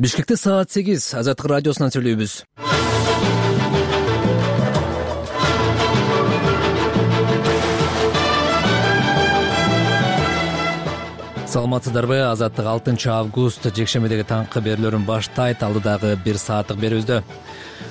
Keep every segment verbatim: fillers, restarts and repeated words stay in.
Бишкекте саат сегиз. Азаттык радиосунан сүйлөйбүз. Саламатсыздарбы? Азаттык алтынчы август жекшембидеги таңкы берүүлөрүн баштайт. Алдыдагы бир сааттык берүүбүздө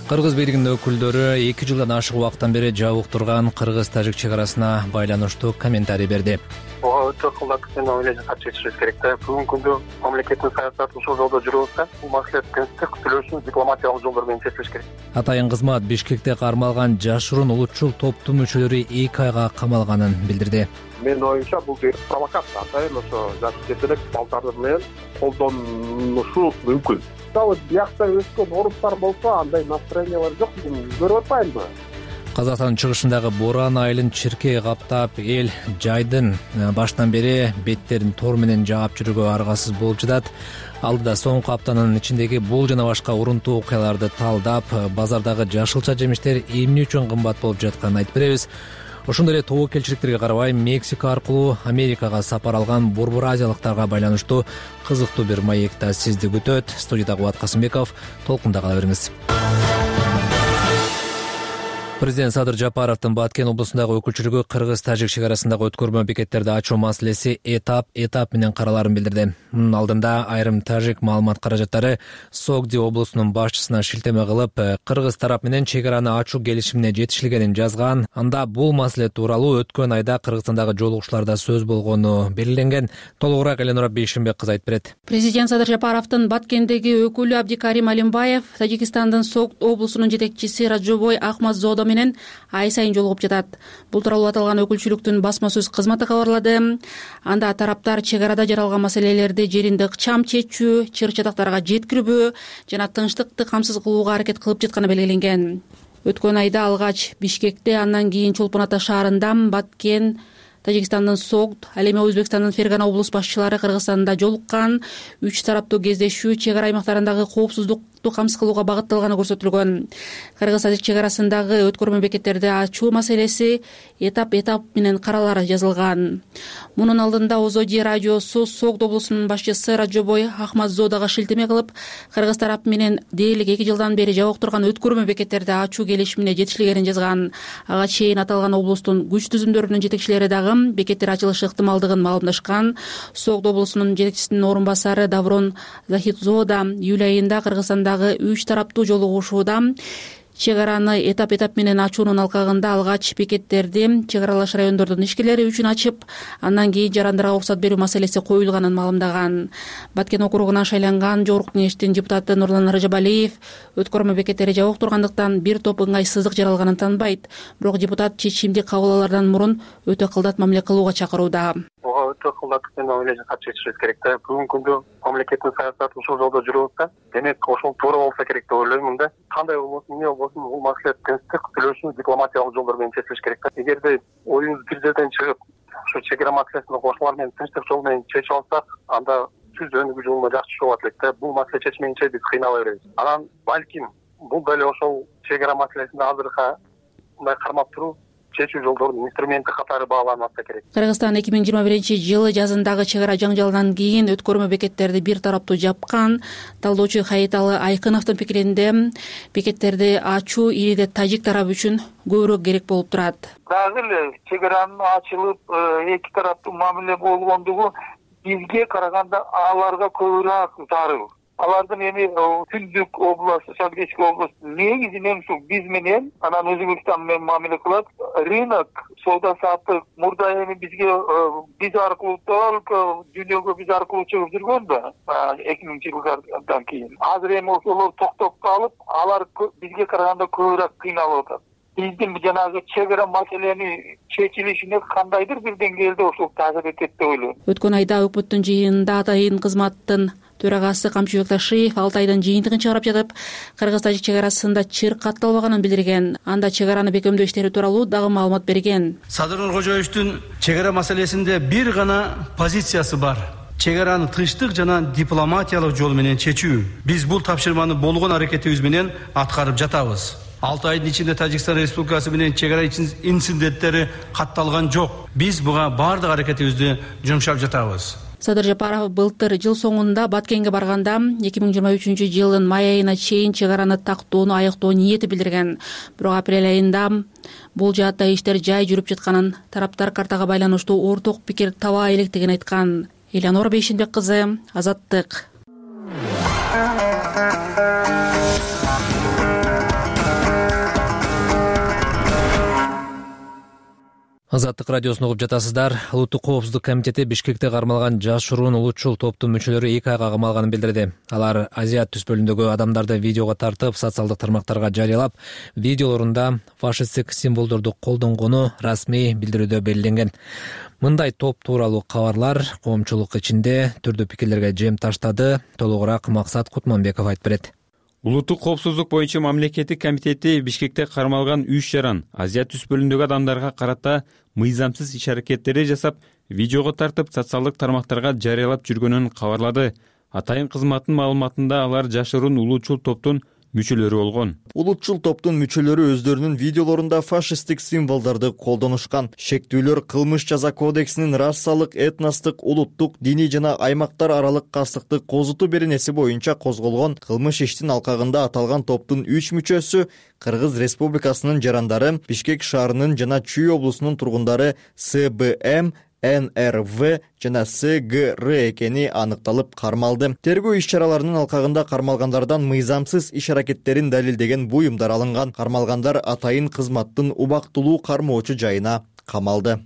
Кыргыз бийлигинин өкүлдөрү эки жылдан ашык убакыттан бери жабык турган кыргыз-тажик чек арасына байланыштуу комментарий берди. Ого өтө кылдатып мен ойлойм, кат чечишибиз керек да. Бүгүнкү күндө мамлекеттин саясаты ушул жолдо жүрүп атса, бул маселе тынчтык сүйлөшүү дипломатиялык жолдор менен чечилиш керек. Атайын кызмат Бишкекте кармалган жашыруун улутчул топтун мүчөлөрү эки айга камалганын билдирди. Менин оюмча бул бир провокация, атайын ошо жаш жетелек балдары менен колдонушу мүмкүн. Дагы биякта өскөн орустар болсо андай настроениялар жок, көрүп атпаймынбы? Казакстандын чыгышындагы боран айылын чиркей каптап, эл жайдын баштан бери беттерин тор менен жаап жүрүүгө аргасыз болуп жатат. Алдыда соңку аптанын ичиндеги бул жана башка урунтуу окуяларды талдап, базардагы жашылча жемиштер эмне үчүн кымбат болуп жатканын айтып беребиз. Ошондой эле тобокелчиликтерге карабай, Мексика аркылуу Америкага сапар алган борбор азиялыктарга байланыштуу кызыктуу бир маек да сизди күтөт. Студияда Кубат Касымбеков, толкунда кала бериңиз. Президент Садыр Жапаровдун Баткен облусундагы өкүлчүлүгү кыргыз-тажик чек арасындагы өткөрмө бекеттерди ачуу маселеси этап этап менен караларын билдирди. Мунун алдында айрым тажик маалымат каражаттары Согди облусунун башчысына шилтеме кылып, кыргыз тарап менен чек араны ачуу келишимине жетишилгенин жазган. Анда бул маселе тууралуу өткөн айда Кыргызстандагы жолугушууларда сөз болгону белгиленген. Толугураак Эленора Бейшимбек кызы айтып берет. Президент Садыр Жапаровдун Баткендеги өкүлү Абдикарим Алимбаев Тажикстандын Согд облусунун жетекчиси Раджобой Ахмадзодо менен ай сайын жолугуп жатат. Бул тууралуу аталган өкүлчүлүктүн басма сөз кызматы кабарлады. Анда тараптар чек арада жаралган маселелерди жеринде ыкчам чечүү, чыр-чатактарга жеткирбөө жана тынчтыкты камсыз кылууга аракет кылып жатканы белгиленген. Өткөн айда алгач Бишкекте, андан кийин Чолпон Ата шаарында, Баткен, Тажикстандын Согд, ал эми Өзбекстандын Фергана облус башчылары Кыргызстанда жолуккан. Үч тараптуу кездешүү чек ара аймактарындагы коопсуздукту камсыз кылууга багытталганы көрсөтүлгөн. Кыргыз-тажик чек арасындагы өткөрмө бекеттерди ачуу маселеси этап-этап менен каралары жазылган. Мунун алдында Озоди радиосу Согд облусунун башчысы Раджобой Ахмадзодого шилтеме кылып, кыргыз тарап менен дээрлик эки жылдан бери жабык турган өткөрмө бекеттерди ачуу келишимине жетишилгенин жазган. Ага чейин аталган облустун күч түзүмдөрүнүн жетекчилери дагы бекеттер ачылышы ыктымалдыгын маалымдашкан. Согд облусунун жетекчисинин орун басары Даврон Захидзода июль айында Кыргызстандагы үч тараптуу жолугушууда чек араны этап-этап менен ачуунун алкагында алгач бекеттерди чек аралаш райондордун ишкерлери үчүн ачып, андан кийин жарандарга уруксат берүү маселеси коюлганын маалымдаган. Баткен округунан шайланган Жогорку Кеңештин депутаты Нурлан Рыжабалиев өткөрмө бекеттери жабык тургандыктан бир топ ыңгайсыздык жаралганын тааныбайт. Бирок депутат чечимди кабыл алаардан мурун өтө кылдат мамиле кылууга чакырууда. Ого өтө кылдатып мен ойлойм, кат чечишибиз керек да. Бүгүнкү күндө мамлекеттин саясаты ушул жолдо жүрүп атса, демек ошол туура болсо керек деп ойлоймун да. Кандай болбосун, эмне болбосун, бул маселе тынчтык сүйлөшүү дипломатиялык жолдор менен чечилиш керек да. Эгерде оюбуз бир жерден чыгып, ушу чек ара маселесин кошулар менен тынчтык жол менен чечип алсак, анда түз өнүгүү жолуна жакшы чыгып алат элек да. Бул маселе чечмейинче биз кыйнала беребиз. Анан балким бул деле ошол чек ара маселесинде азыркы мындай кармап туруу чечүү жолдорунун инструменти катары бааланып атса керек. Кыргызстан эки миң жыйырма биринчи жылы жазындагы чек ара жаңжалынан кийин өткөрмө бекеттерди бир тараптуу жапкан. Талдоочу Хаиталы Айкыновдун пикиринде бекеттерди ачуу ириде тажик тарабы үчүн көбүрөөк керек болуп турат. Дагы эле чек аранын ачылып эки тараптуу мамиле болгондугу бизге караганда аларга көбүрөөк зарыл. Алардын эми Түндүк область, Шалгечки область негизинен ушу биз менен, анан Өзбекстан менен мамиле кылат. Рынок, соода саттык мурда эми бизге биз аркылуу только дүйнөгө биз аркылуу чыгып жүргөн да, эки миңинчи жылдардан кийин. Азыр эми ошолор токтоп калып, алар бизге караганда көбүрөөк кыйналып атат. Биздин жанагы чек ара маселени чечилишине кандайдыр бир деңгээлде ошол таасир этет деп ойлойм. Өткөн айда өкмөттүн жыйынында атайын кызматтын төрагасы Камчыбек Ташиев алты айдын жыйынтыгын чыгарып жатып, кыргыз-тажик чек арасында чыр катталбаганын билдирген. Анда чек араны бекемдөө иштери тууралуу дагы маалымат берген. Садыр Нуркожоевдун чек ара маселесинде бир гана позициясы бар. Чек араны тынчтык жана дипломатиялык жол менен чечүү. Биз бул тапшырманы болгон аракетибиз менен аткарып жатабыз. алты айдын ичинде Тажикстан Республикасы менен чек ара инциденттери катталган жок. Биз буга бардык аракетибизди жумшап жатабыз. Садыр Жапаров былтыр жыл соңунда Баткенге барганда эки миң жыйырма үчүнчү жылдын май айына чейин чек араны тактоону аяктоо ниети билдирген. Бирок апрель айында бул жаатта иштер жай жүрүп жатканын, тараптар картага байланыштуу орток пикир таба электигин айткан. Элеонора Бейшенбек кызы, Азаттык. Азаттык радиосун угуп жатасыздар. Улуттук коопсуздук комитети Бишкекте кармалган жашыруун улутчул топтун мүчөлөрү эки айга камалганын билдирди. Алар Азият түспөлүндөгү адамдарды видеого тартып, социалдык тармактарга жарыялап, видеолорунда фашисттик символдорду колдонгону расмий билдирүүдө белгиленген. Мындай топ тууралуу кабарлар коомчулук ичинде түрдүү пикирлерге жем таштады. Толугураак Максат Кутманбеков айтып берет. Улуттук коопсуздук боюнча мамлекеттик комитети Бишкекте кармалган үч жаран Азия түспөлүндөгү адамдарга карата мыйзамсыз иш-аракеттери жасап, видеого тартып, социалдык тармактарга жарыялап жүргөнүн кабарлады. Атайын кызматтын маалыматында алар жашыруун улуучул топтун мүчөлөрү болгон. Улутчул топтун мүчөлөрү өздөрүнүн видеолорунда фашисттик символдорду колдонушкан. Шектүүлөр кылмыш жаза кодексинин расалык, этностук, улуттук, диний жана аймактар аралык кастыкты козутуу беренеси боюнча козголгон кылмыш иштин алкагында аталган топтун үч мүчөсү Кыргыз Республикасынын жарандары, Бишкек шаарынын жана Чүй облусунун тургундары С Б М, Н Р В жана С Г Р экени аныкталып кармалды. Тергөө иш-чараларынын алкагында кармалгандардан мыйзамсыз иш-аракеттерин далилдеген буюмдар алынган. Кармалгандар атайын кызматтын убактылуу кармоочу жайына камалды.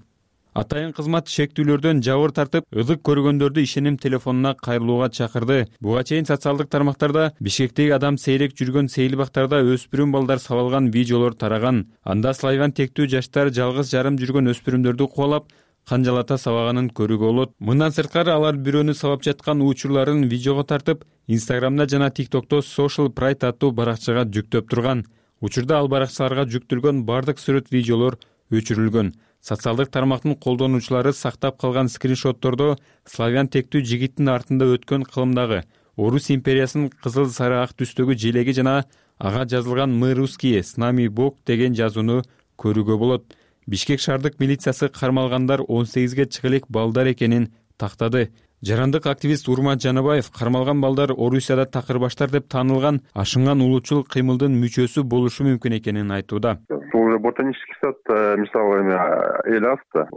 Атайын кызмат шектүүлөрдөн жабыр тартып, ылык көргөндөрдү ишеним телефонуна кайрылууга чакырды. Буга чейин социалдык тармактарда Бишкектеги адам сейрек жүргөн сейилбактарда өспүрүм балдар сабалган видеолор тараган. Анда славян тектүү жаштар жалгыз жарым жүргөн өспүрүмдөрдү кубалап, канжалата сабаганын көрүүгө болот. Мындан сырткары алар бирөөнү сабап жаткан учурларын видеого тартып, Инстаграмда жана ТикТокто Social Pride аттуу баракчага жүктөп турган. Учурда ал баракчаларга жүктөлгөн бардык сүрөт видеолор өчүрүлгөн. Социалдык тармактын колдонуучулары сактап калган скриншоттордо славян тектүү жигиттин артында өткөн кылымдагы Орус империясынын кызыл сары ак түстөгү желеги жана ага жазылган «Мы русские, с нами Бог» деген жазууну көрүүгө болот. Бишкек шаардык милициясы кармалгандар он сегизге чыга элек балдар экенин тактады. Жарандык активист Урмат Жанабаев кармалган балдар Орусияда такырбаштар деп таанылган ашынган улуучул кыймылдын мүчөсү болушу мүмкүн экенин айтууда. Бул ботанический сад мисалы эми эл аста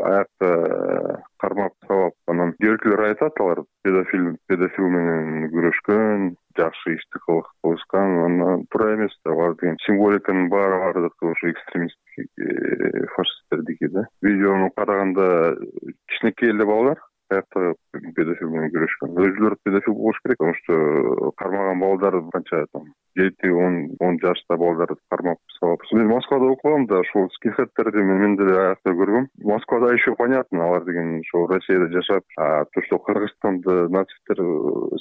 аякта кармап сабап анан көркүлөр айтат, алар педофил педофил менен күрөшкөн, жакшы ишти кылышкан, анан туура эмес да, алар деген символиканын баары бардык ошо экстремисттик фашисттердики да. Видеону караганда кичинекей эле балдар аякта педофил менен күрөшкөн. Өзүлөрү педофил болуш керек, потому что кармаган балдар канча там жети он жашта балдарды кармап сабап. Мен Москвада окугам да, ошол скинхедтерди мен деле аякта көргөм. Москвада еще понятно, алар деген ошо Россияда жашап, а то, что Кыргызстанда нацисттер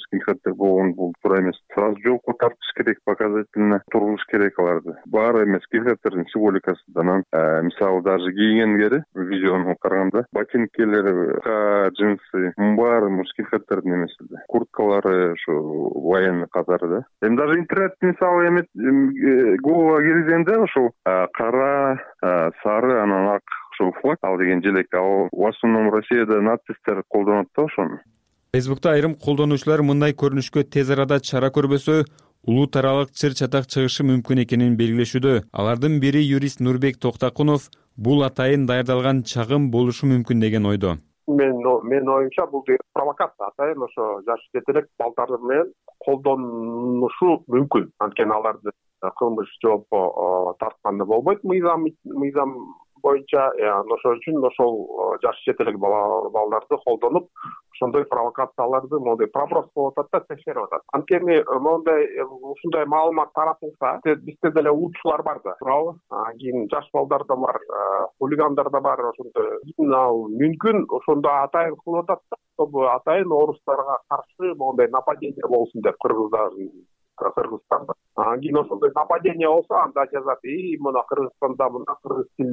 скинхедтер болгон, бул туура эмес. Сразу жолко тартыш керек, показательно тургуш керек аларды. Баары эмес, скинхедтердин символикасы. Анан мисалы даже кийгендери видеону караганда ботинкелери, джинсы, баары скинхедтердин эмес эле. Курткалары ошо военный катары да. Эми даже интернет мисалы эми Google киргизгенде ошол кара, сары, анан ак ошол флаг ал деген желек, ал в основном Россияда нацисттер колдонот да ошону. Фейсбукта айрым колдонуучулар мындай көрүнүшкө тез арада чара көрбөсө, улут аралык чыр чатак чыгышы мүмкүн экенин белгилешүүдө. Алардын бири юрист Нурбек Токтакунов бул атайын даярдалган чагым болушу мүмкүн деген ойдо. Мен мен оюмча бул провокация, атайын ошо жаш жетелек балдар менен колдонушу мүмкүн. Анткени аларды кылмыш жоопко тартканда болбойт мыйзам мыйзам боюнча. Ошол үчүн ошол жаш жетелек балдарды колдонуп, ошондой провокацияларды, моундай проброс болуп атат да, текшерип атат. Анткени моундай ушундай маалымат таратылса, бизде деле улутчулар бар да, туурабы? Кийин жаш балдар да бар, хулигандар да бар, ошондой ал мүмкүн ошондо атайын кылып атат да, чтобы атайын орустарга каршы моундай нападение болсун деп кыргыздардын Кыргызстанда. Кийин ошондой нападение болсо, анда жазат, и мына Кыргызстанда мына кыргыз тил,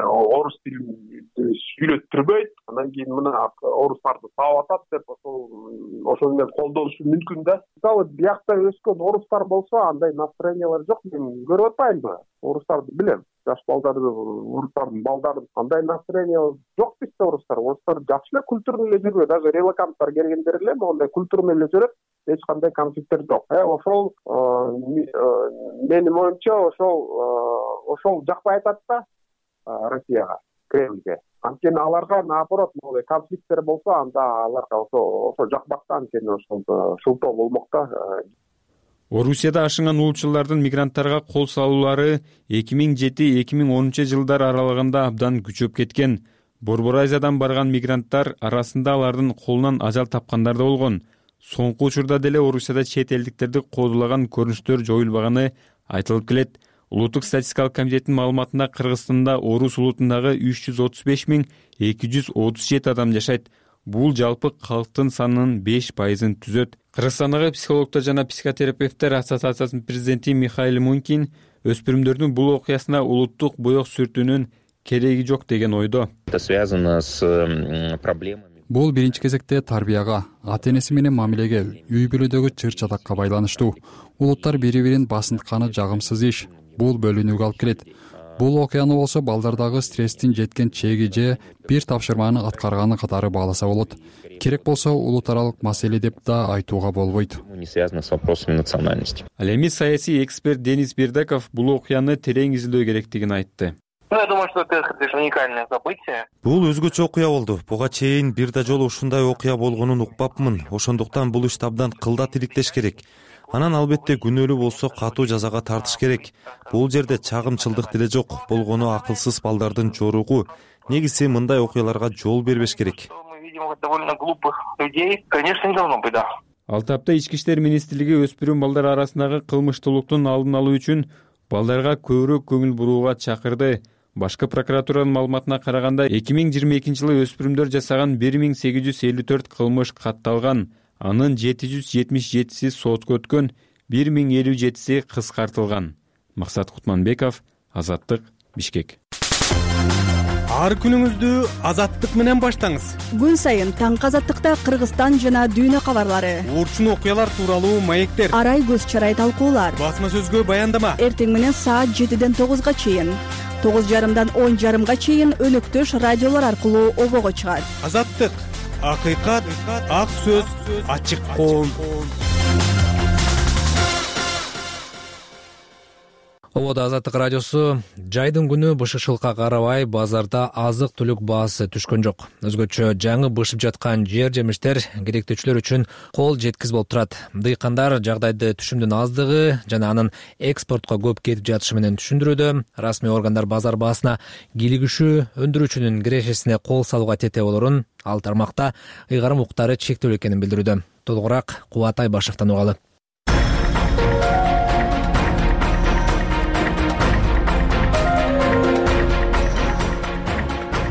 орус тилин сүйлөттүрбөйт, анан кийин мына орустарды сабап атат деп ошол ошол менен колдонушу мүмкүн да. Мисалы биякта өскөн орустар болсо, андай настроениялар жок, мен көрүп атпаймынбы? Орустарды билем. жаш балдарды, орустардын балдарын андай настроение жок бизде орустар. Орустар жакшы эле культур менен жүрөт. Даже релоканттар келгендер эле моундай культура менен жүрөт. Эч кандай конфликттер жок. Э, ошол менин оюмча ошол ошол жакпай атат да Россияга, Кремльге. Анткени аларга наоборот моундай конфликттер болсо, анда аларга ошо ошо жакпак да, анткени ошол шылтоо болмок да. Орусияда ашынган улутчулардын мигранттарга кол салуулары эки миң жети эки миң онунчу жылдар аралыгында абдан күчөп кеткен. Борбор Азиядан барган мигранттар арасында алардын колунан ажал тапкандар да болгон. Соңку учурда деле Орусияда чет элдиктерди кодулаган көрүнүштөр жоюлбаганы айтылып келет. Улуттук статистикалык комитеттин маалыматында Кыргызстанда орус улутундагы үч жүз отуз беш миң эки жүз отуз жети адам жашайт. Бул жалпы калктын санынын беш пайызын түзөт. Кыргызстандагы психологдор жана психотерапевттер ассоциациясынын президенти Михаил Мункин өспүрүмдөрдүн бул окуясына улуттук боек сүртүүнүн кереги жок деген ойдо. Это связано с проблемами. Бул биринчи кезекте тарбияга, ата-энеси менен мамилеге, үй бүлөдөгү чыр-чатакка байланыштуу. Улуттар бири-бирин басынтканы жагымсыз иш. Бул бөлүнүүгө алып келет. Бул окуяны болсо балдардагы стресстин жеткен чеги же бир тапшырманы аткарганы катары бааласа болот. Керек болсо улут аралык маселе деп да айтууга болбойт. Не связано с вопросами национальности. Ал эми саясий эксперт Денис Бердаков бул окуяны терең изилдөө керектигин айтты. Я думаю, что это уникальное событие. Бул өзгөчө окуя болду. Буга чейин бир да жолу ушундай окуя болгонун укпапмын. Ошондуктан бул ишти абдан кылдат иликтеш керек. Анан албетте күнөөлүү болсо катуу жазага тартыш керек. Бул жерде чагымчылдык деле жок. Болгону акылсыз балдардын жоругу. Негизи мындай окуяларга жол бербеш керек. Довольно глупых людей, конечно, не должно быть, да. Ал тапта Ички иштер министрлиги өспүрүм балдар арасындагы кылмыштуулуктун алдын алуу үчүн балдарга көбүрөөк көңүл бурууга чакырды. Башкы прокуратуранын маалыматына караганда эки миң жыйырма экинчи жылы өспүрүмдөр жасаган бир миң сегиз жүз элүү төрт кылмыш катталган. Анын жети жүз жетимиш жетиси сотко өткөн, бир миң элүү жетиси кыскартылган. Максат Кутманбеков, Азаттык, Бишкек. Ар күнүңүздү Азаттык менен баштаңыз. Күн сайын таңкы Азаттыкта Кыргызстан жана дүйнө кабарлары, урчун окуялар тууралуу маектер, арай көз чарай талкуулар, басма сөзгө баяндама. Эртең менен саат жетиден тогузга чейин, тогуз жарымдан он жарымга чейин өнөктөш радиолор аркылуу обого чыгат. Азаттык, акыйкат, ак сөз, ачык коом. Ободо Азаттык радиосу. Жайдын күнү бышышылыкка карабай базарда азык түлүк баасы түшкөн жок. Өзгөчө жаңы бышып жаткан жер жемиштер керектүүчүлөр үчүн кол жеткиз болуп турат. Дыйкандар жагдайды түшүмдүн аздыгы жана анын экспортко көп кетип жатышы менен түшүндүрүүдө. Расмий органдар базар баасына кийлигишүү өндүрүүчүнүн кирешесине кол салууга тете болорун, ал тармакта ыйгарым укуктары чектелүү экенин билдирүүдө. Толугураак Кубат Айбашевден угалы.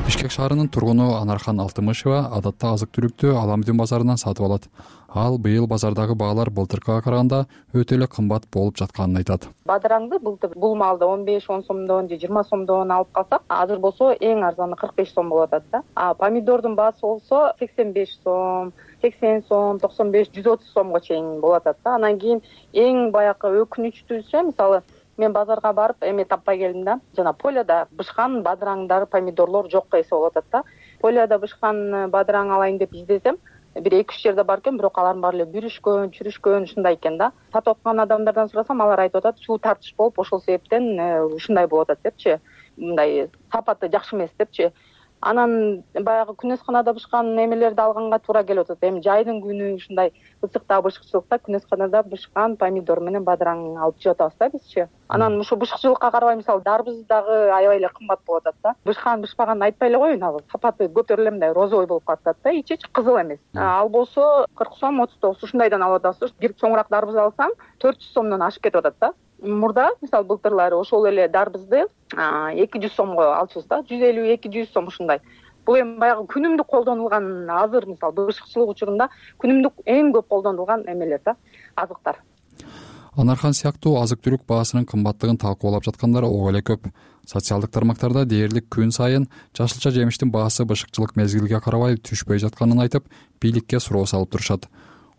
Бишкек шаарынын тургуну Анархан Алтымышева адатта азык-түлүктү Аламдин базарынан сатып алат. Ал быйыл базардагы баалар былтыркыга караганда өтө эле кымбат болуп жатканын айтат. Бадыраңды былтыр бул малды он беш он сомдон же жыйырма сомдон алып калсак, азыр болсо эң арзаны кырк беш сом болуп атат да. А помидордун баасы болсо сексен беш сом, сексен сом, токсон беш, жүз отуз сомго чейин болуп атат да. Анан кийин эң баягы өкүнүчтүүсү, мисалы мен базарга барып эме таппай келдим да. Жана поляда бышкан бадыраңдар, помидорлор жокко эсе болуп атат да. Поляда бышкан бадыраң алайын деп издесем, бир эки үч жерде бар экен, бирок алардын баары эле бүрүшкөн, чүрүшкөн, ушундай экен да. Сатып аткан адамдардан сурасам, алар айтып атат, суу тартыш болуп, ошол себептен ушундай болуп атат депчи. Мындай сапаты жакшы эмес депчи. Анан баягы күнөсканада бышкан немелерди алганга туура келип атат. Эми жайдын күнү ушундай ысыкта, бышыкчылыкта күнөсканада бышкан помидор менен бадыраң алып жеп атабыз да бизчи. Анан ушу бышыкчылыкка карабай, мисалы дарбыз дагы аябай эле кымбат болуп атат да. Бышкан бышпаганын айтпай эле коеюн, ал сапаты көтөрүлө мындай розовый болуп калат да, ичи кызыл эмес. Ал болсо кырк сом, отуз тогуз ушундайдан алып атабыз. Бир чоңураак дарбыз алсаң төрт жүз сомдон ашып кетип атат да. Мурда мисалы былтырлары ошол эле дарбызды эки жүз сомго алчубуз да, жүз элүү эки жүз сом ушундай. Бул эми баягы күнүмдүк колдонулган, азыр мисалы бышыкчылык учурунда күнүмдүк эң көп колдонулган эмелер да, азыктар. Анархан сыяктуу азык-түлүк баасынын кымбаттыгын талкуулап жаткандар ого эле көп. Социалдык тармактарда дээрлик күн сайын жашылча жемиштин баасы бышыкчылык мезгилге карабай түшпөй жатканын айтып, бийликке суроо салып турушат.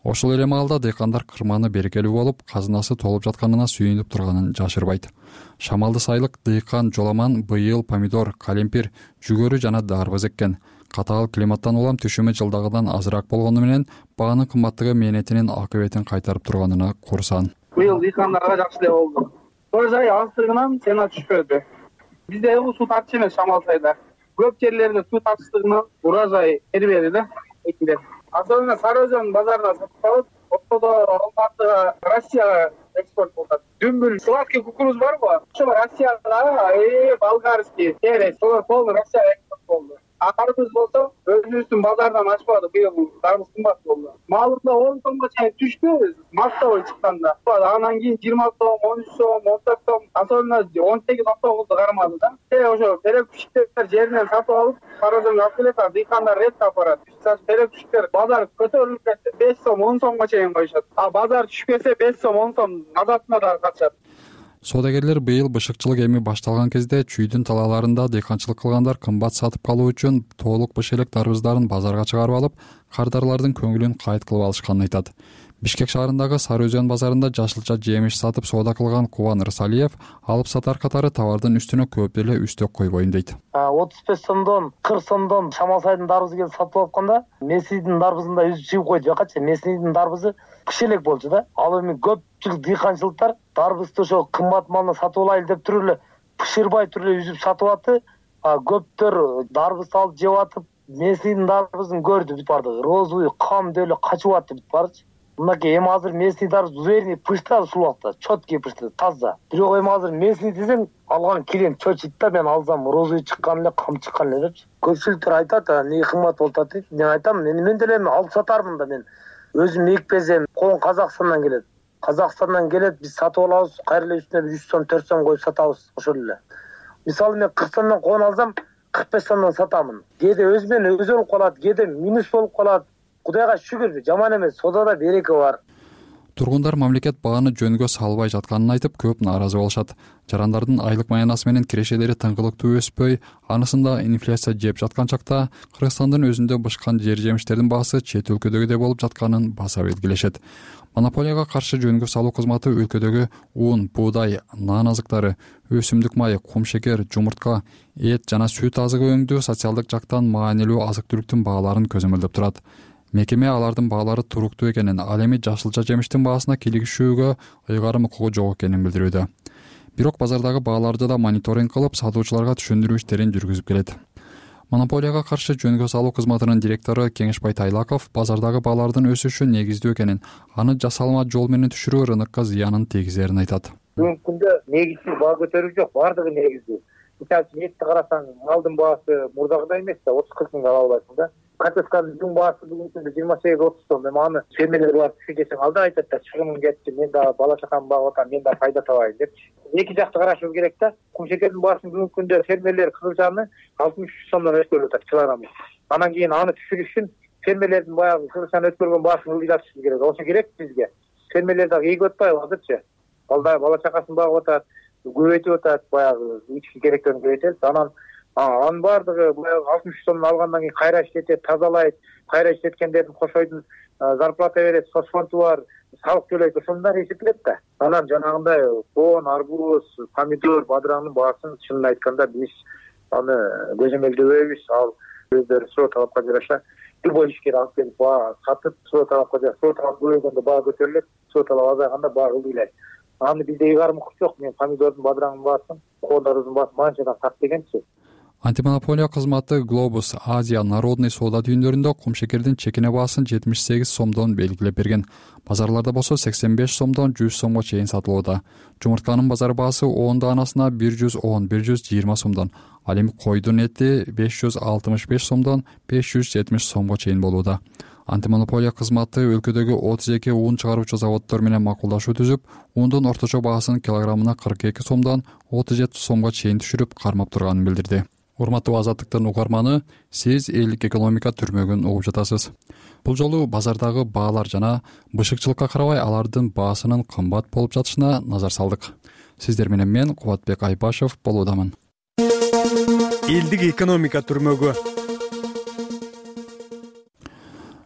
Ошол эле маалда дыйкандар кырманы берекелүү болуп, казынасы толуп жатканына сүйүнүп турганын жашырбайт. Шамалды сайылык дыйкан Жоламан быйыл помидор, калемпир, жүгөрү жана дарбыз эккен. Катаал климаттан улам түшүмү жылдагыдан азыраак болгону менен баанын кымбаттыгы мээнетинин акыбетин кайтарып турганына курсан. Быйыл дыйкандарга жакшы эле болду. Урожай аздыгынан цена түшпөдү. Бизде суу тартыш эмес Шамал сайда. Көп жерлерде суу тартыштыгынан урожай бербеди да экилер. Особенно Сары-Өзөн базарына сатып алып, ортодо Алматыга, Россияга экспорт болот. Дүмбүл, сладкий кукуруз барбы? Ошо Россияга, э, болгарский, терес, солар полный Россияга экспорт болду. А дарбыз болсо, өзүбүздүн базардан ачпады, быйыл дарбыз кымбат болду. Маалында он сомго чейин түшпөбүз, мактабой чыкканда. Анан кийин жыйырма сом, он үч сом, он төрт сом, особенно он сегиз он тогузду кармады да. Э, ошо терек күчүктөр жеринен сатып алып, Сары-Өзөнгө алып келет, дыйкандар ретке апарат. Терек күчүктөр базар көтөрүлүп кетсе беш сом, он сомго чейин коюшат. А базар түшпөсө беш сом, он сом азатына да качат. Соодагерлер быйыл бышыкчылык эми башталган кезде чүйдүн талааларында дыйканчылык кылгандар кымбат сатып калуу үчүн тоолук быш элек дарбыздарын базарга чыгарып алып, кардарлардын көңүлүн кайыт кылып алышканын айтат. Бишкек шаарындагы Сары-Өзөн базарында жашылча жемиш сатып соода кылган Кубан Рысалиев алып сатар катары товардын үстүнө көп эле үстөк койбойм дейт. отуз беш сомдон кырк сомдон Шамал сайдын дарбызы келип сатып алтканда, Меснийдин дарбызында өзү чыгып койду жакачы. Меснийдин дарбызы кыш элек болчу да. Ал эми көпчүлүк дыйканчылыктар дарбызды ошо кымбат малына сатып алайлы деп туруп эле бышырбай туруп эле үзүп сатып атты. А көптөр дарбыз алып жеп атып, Меснийдин дарбызын көрдү бүт барды. Розовый кам деп эле качып атты бүт барчы. Мынакей эми азыр местный дарбыз уверенный пышта ушул убакта, четкий пышта, таза. Бирок эми азыр местный десең, алган клиент чочойт да, мен алсам розовый чыккан эле, кам чыккан эле депчи. Көпчүлүктөр айтат, эмне кымбат болуп атат дейт. Мен айтам, мен деле эми алып сатармын да, мен өзүм экпесем, кон Казакстандан келет. Казакстандан келет, биз сатып алабыз, кайра эле үстүнө жүз сом, төрт сом коюп сатабыз, ошол эле. Мисалы мен кырк сомдон кон алсам, кырк беш сомдон сатамын. Кээде өзү менен өзү болуп калат, кээде минус болуп калат. Кудайга шүгүр, жаман эмес, содада береке бар. Тургундар мамлекет бааны жөнгө салбай жатканын айтып, көп нааразы болушат. Жарандардын айлык маянасы менен кирешелери тыңгылыктуу өспөй, анысында инфляция жеп жаткан чакта Кыргызстандын өзүндө бышкан жер жемиштердин баасы чет өлкөдөгүдөй болуп жатканын баса белгилешет. Монополияга каршы жөнгө салуу кызматы өлкөдөгү ун, буудай, нан азыктары, өсүмдүк майы, кум шекер, жумуртка, эт жана сүт азыгы өңдүү социалдык жактан маанилүү азык-түлүктүн бааларын көзөмөлдөп турат. Мекеме алардын баалары туруктуу экенин, ал эми жашылча жемиштин баасына кийлигишүүгө ыйгарым укугу жок экенин билдирүүдө. Бирок базардагы бааларды да мониторинг кылып, сатуучуларга түшүндүрүү иштерин жүргүзүп келет. Монополияга каршы жөнгө салуу кызматынын директору Кеңешбай Тайлаков базардагы баалардын өсүшү негиздүү экенин, аны жасалма жол менен түшүрүү рынокко зыянын тийгизерин айтат. Бүгүнкү күндө негизсиз баа көтөрүү жок, бардыгы негиздүү. Мисалы үчүн этти карасаң, малдын баасы мурдагыдай эмес да, отуз кырк миңге ала албайсың да. Картошканын жүн баасы бүгүнкү күндө жыйырма сегиз отуз сом. Эми аны фермерлер барып түшү десең, алда айтат да, чыгымым кетти, мен да бала чакамды багып атам, мен да пайда табайын депчи. Эки жакты карашыбыз керек да. Кум шекердин баасын бүгүнкү күндө фермерлер кызылчаны алтымыш үч сомдон өткөрүп атат килограммы. Анан кийин аны түшүрүш үчүн фермерлердин баягы кызылчаны өткөргөн баасын ылдыйтышыбыз керек. Ошо керек бизге. Фермерлер дагы ийгип атпайбы азырчы? Алда бала чакасын багып атат, көбөйтүп атат, баягы ички керектерин көбөйтөт. Анан анын баардыгы баягы алтымыш үч сомдон алгандан кийин кайра иштетет, тазалайт, кайра иштеткендердин кошойдун зарплата берет, соцфонду бар, салык төлөйт, ошондор эсептелет да. Анан жанагындай кон, арбуз, помидор, бадыраңдын баасын чынын айтканда биз аны көзөмөлдөбөйбүз. Ал өздөрү суроо талапка жараша любой ишкер алып келип баа сатып, суроо талапка жараша, суроо талап көбөйгөндө баа көтөрүлөт, суроо талап азайганда баа ылдыйлайт. Аны бизде ыйгарым укук жок. Мен помидордун, бадыраңдын баасын, кондордун баасын манчадан сат дегенчи. Антимонополия кызматы Globus Азия народный соода түйүндөрүндө кум шекердин чекине баасын жетимиш сегиз сомдон белгилеп берген. Базарларда болсо сексен беш сомдон жүз сомго чейин сатылууда. Жумуртканын базар баасы он даанасына бир жүз он бир жүз жыйырма сомдон, ал эми койдун эти беш жүз алтымыш беш сомдон беш жүз жетимиш сомго чейин болууда. Антимонополия кызматы өлкөдөгү отуз эки ун чыгаруучу заводдор менен макулдашуу түзүп, ундун орточо баасын килограммына кырк эки сомдон отуз жети сомго чейин түшүрүп кармап турганын билдирди. Урматтуу Азаттыктын угарманы, сиз элдик экономика түрмөгүн угуп жатасыз. Бул жолу базардагы баалар жана бышыкчылыкка карабай алардын баасынын кымбат болуп жатышына назар салдык. Сиздер менен мен Кубатбек Айбашев болуудамын. Элдик экономика түрмөгү.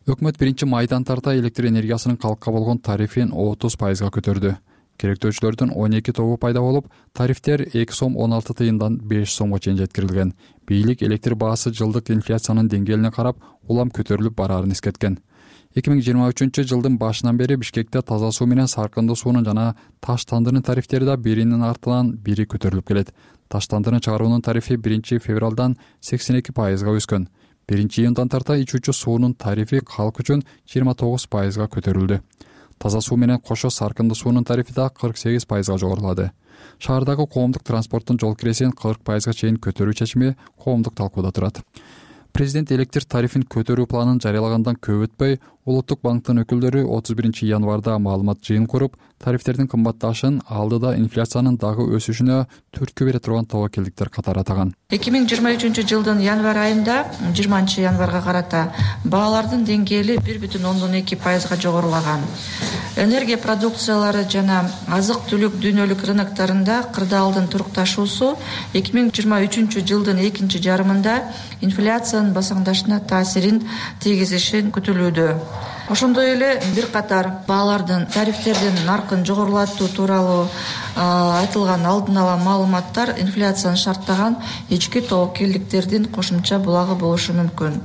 Өкмөт биринчи майдан тарта электр энергиясынын калкка болгон тарифин отуз пайызга көтөрдү. Керектөөчүлөрдүн он эки тобу пайда болуп, тарифтер эки сом он алты тыйындан беш сомго чейин жеткирилген. Бийлик электр баасы жылдык инфляциянын деңгээлине карап улам көтөрүлүп бараарын эскерткен. эки миң жыйырма үчүнчү жылдын башынан бери Бишкекте таза суу менен саркындуу суунун жана таш тандырын тарифтери да биринин артынан бири көтөрүлүп келет. Таш тандырын чыгаруунун тарифи биринчи февралдан сексен эки пайызга өскөн. биринчи июндан тарта ичүүчү суунун тарифи калк үчүн жыйырма тогуз пайызга көтөрүлдү. Таза суу менен кошо саркындуу суунун тарифи да кырк сегиз пайызга жогорулады. Шаардагы коомдук транспорттун жол киресин кырк пайызга чейин көтөрүү чечими коомдук талкууда турат. Президент электр тарифин көтөрүү планын жарыялагандан көп өтпөй, Улуттук банктын өкүлдөрү отуз биринчи январда маалымат жыйын куруп, тарифтердин кымбатташын алдыда инфляциянын дагы өсүшүнө түрткү бере турган тобокелдиктер катары атаган. эки миң жыйырма үчүнчү жылдын январь айында жыйырманчы январга карата баалардын деңгээли бир бүтүн ондон эки пайызга жогорулаган. Энергия продукциялары жана азык-түлүк дүйнөлүк рыноктарында кырдаалдын турукташуусу эки миң жыйырма үчүнчү жылдын экинчи жарымында инфляциянын басаңдашына таасирин тийгизишин күтүлүүдө. Ошондой эле бир катар баалардын тарифтердин наркын жогорулатуу тууралуу айтылган алдын ала маалыматтар инфляцияны шарттаган ички тобокелдиктердин кошумча булагы болушу мүмкүн,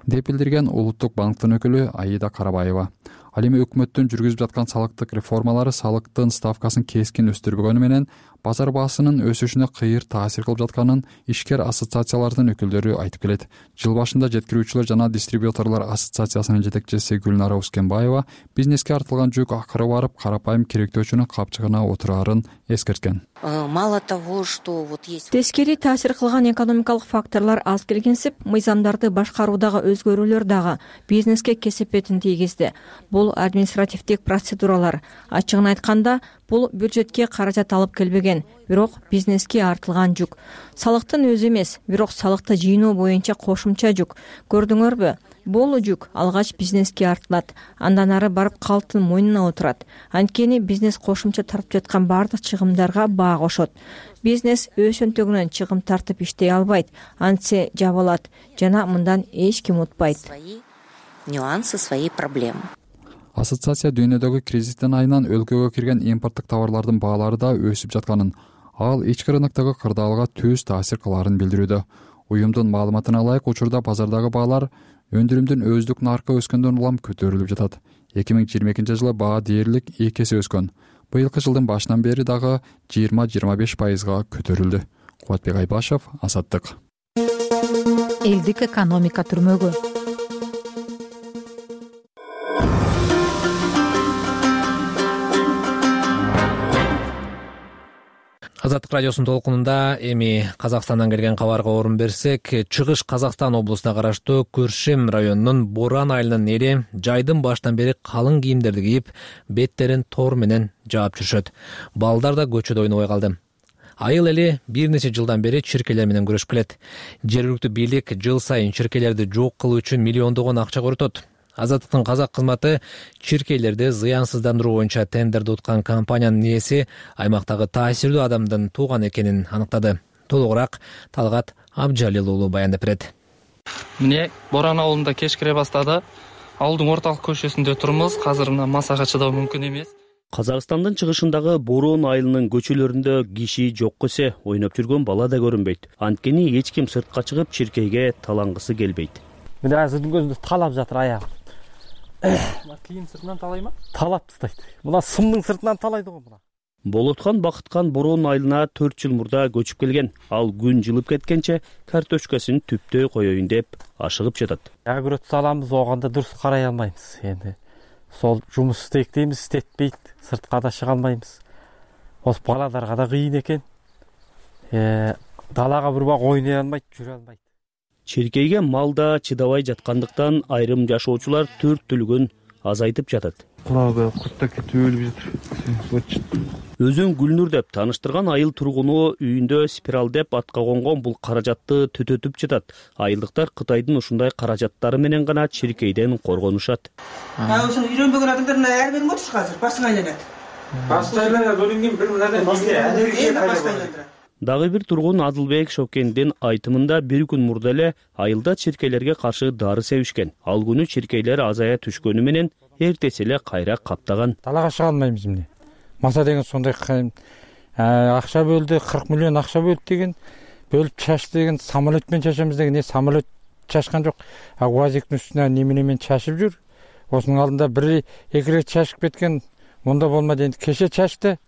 деп билдирген Улуттук банктын өкүлү Аида Карабаева. Ал эми өкмөттүн жүргүзүп жаткан салыктык реформалары салыктын ставкасын кескин өстүрбөгөнү менен базар баасынын өсүшүнө кыйыр таасир кылып жатканын ишкер ассоциациялардын өкүлдөрү айтып келет. Жыл башында жеткирүүчүлөр жана дистрибьюторлор ассоциациясынын жетекчиси Гүлнара Ускенбаева бизнеске артылган жүк акыры барып карапайым керектөөчүнүн капчыгына отурарын эскерткен. Мало того, что вот есть тескери таасир кылган экономикалык факторлор аз келгенсип, мыйзамдарды башкаруудагы өзгөрүүлөр дагы бизнеске кесепетин тийгизди. Бул административдик процедуралар. Ачыгын айтканда, бул бюджетке каражат алып келбеген, бирок бизнеске артылган жүк. Салыктын өзү эмес, бирок салыкты жыйноо боюнча кошумча жүк. Көрдүңөрбү? Бул жүк алгач бизнеске артылат, андан ары барып калктын мойнуна отурат. Анткени бизнес кошумча тартып жаткан бардык чыгымдарга баа кошот. Бизнес өз өнтөгүнөн чыгым тартып иштей албайт, антсе жабылат жана мындан эч ким утпайт. Нюансы, свои проблемы. Ассоциация дүйнөдөгү кризистин айынан өлкөгө кирген импорттук товарлардын баалары да өсүп жатканын, ал ички рыноктогу кырдаалга түз таасир кылаарын билдирүүдө. Уюмдун маалыматына ылайык, учурда базардагы баалар өндүрүмдүн өздүк наркы өскөндөн улам көтөрүлүп жатат. эки миң жыйырма экинчи жылы баа дээрлик эки эсе өскөн. Быйылкы жылдын башынан бери дагы жыйырма жыйырма беш пайызга көтөрүлдү. Кубатбек Айбашев, Азаттык. Элдик экономика түрмөгү. Азаттык радиосунун толкунунда эми Казакстандан келген кабарга орун берсек, Чыгыш Казакстан облусуна караштуу Күршем районунун Боран айылынын эли жайдын башынан бери калың кийимдерди кийип, беттерин тор менен жаап жүрүшөт. Балдар да көчөдө ойнобой калды. Айыл эли бир нече жылдан бери чиркейлер менен күрөшүп келет. Жергиликтүү бийлик жыл сайын чиркейлерди жок кылуу үчүн миллиондогон акча көрөтөт. Азаттыктын казак кызматы чиркейлерди зыянсыздандыруу боюнча тендерди уткан компаниянын ээси аймактагы таасирдүү адамдын тууган экенин аныктады. Толугураак Талгат Абжалил уулу баяндап берет. Міне, Боран ауылында кеш кире баштады. Ауылдың орталык көчөсүндө турмуз. Азыр мына масага чыдоо мүмкүн эмес. Казакстандын чыгышындагы Борон айылынын көчөлөрүндө киши жок эсе ойноп жүргөн бала да көрүнбөйт. Анткени эч ким сыртка чыгып чиркейге талангысы келбейт. Мына азырдын көзүндө талап жатыр аягым. Кийин сыртынан талай ма? Талап тастайт. Мына сымдын сыртынан талайды го мына. Болоткан Бакыткан Борон айылына төрт жыл мурда көчүп келген. Ал күн жылып кеткенче картошкасын түптөй коеюн деп ашыгып жатат. Агрот саламыз, оганда дурус карай албайбыз. Энди сол жумуш истейт дейбиз, истетпейт. Сыртка да чыга албайбыз. Ос баладарга да кыйын экен. Э, далага бир бак ойной албайт, жүрө албайт. Чиркейге малда чыдабай жаткандыктан айрым жашоочулар төрттүлүгүн азайтып жатат. Курага кутта кетип өлүп жатыр. Өзүн Гүлнур деп тааныштырган айыл тургуну үйүндө спираль деп атка конгон бул каражатты түтөтүп жатат. Айылдыктар Кытайдын ушундай каражаттары менен гана чиркейден коргонушат. Ошону үйрөнбөгөн адамдар ар бир мотуш азыр басың айланат. Басты айланат, өлүнгөн бир мындай бизге. Дагы бир тургун Адылбек Шокендин айтымында бир күн мурда эле айылда чиркейлерге каршы дары себишкен. Ал күнү чиркейлер азая түшкөнү менен эртеси эле кайра каптаган. Талага чыга албайбыз эмне. Маса деген сондай акча бөлдү, кырк миллион акча бөлдү деген, бөлүп чачты деген, самолет менен чачамыз деген, не самолет чачкан жок. А УАЗиктин үстүнө неме менен чачып жүр. Осунун алдында бир эки рет чачып кеткен, мында болмады. Энди кеше чачты.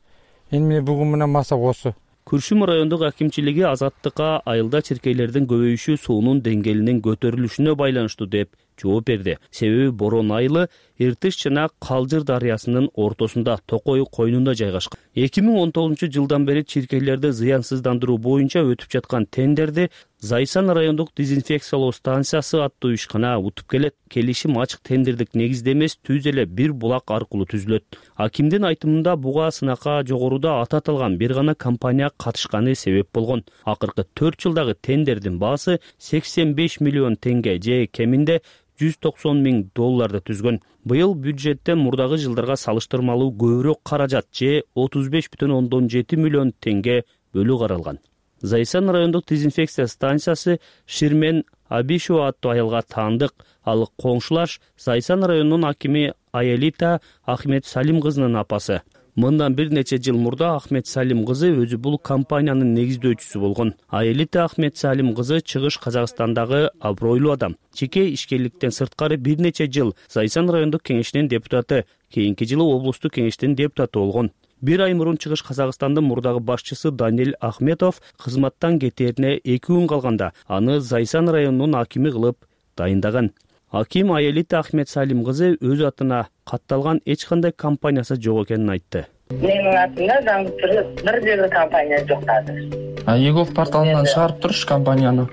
Эми бүгүн менен маса осы. Күршүм райондук акимчилиги Азаттыкка айылда чиркейлердин көбөйүшү суунун деңгээлинин көтөрүлүшүнө байланыштуу деп жооп берди. Себеби Борон айылы Эртиш жана Калжыр дарыясынын ортосунда, Токой койнунда жайгашкан. эки миң он тогузунчу жылдан бери чиркейлерди зыянсыздандыруу боюнча өтүп жаткан тендерди Зайсан райондук дезинфекциялоо станциясы аттуу ишкана утуп келет. Келишим ачык тендердик негизде эмес, түз эле бир булак аркылуу түзүлөт. Акимдин айтымында буга сынакка жогоруда аты аталган бир гана компания катышканы себеп болгон. Акыркы төрт жылдагы тендердин баасы сексен беш миллион теңге же кеминде жүз токсон миң долларды түзгөн. Быйыл бюджеттен мурдагы жылдарга салыштырмалуу көбүрөөк каражат же отуз беш бүтүн ондон жети миллион теңге бөлүү каралган. Зайсан райондук дезинфекция станциясы Ширмен Абишева аттуу аялга таандык. Ал коңшулаш Зайсан районунун акими Аялита Ахмет Салим кызынын апасы. Мындан бир нече жыл мурда Ахмет Салим кызы өзү бул компаниянын негиздөөчүсү болгон. Аялита Ахмет Салим кызы Чыгыш Казакстандагы абройлуу адам. Чеке ишкерликтен сырткары бир нече жыл Зайсан райондук кеңешинин депутаты, кийинки жылы облустук кеңештин депутаты болгон. Бир ай мурун Чыгыш Казакстандын мурдагы башчысы Даниэль Ахметов кызматтан кетерине эки күн калганда аны Зайсан районунун акими кылып дайындаган. Аким Аялита Ахмет Салим кызы өз атына катталган эч кандай компаниясы жок экенин айтты. Менин атымда заңдуу түрдө бир дагы компания жок азыр. А ЕГОВ порталынан чыгарып туруш компанияны?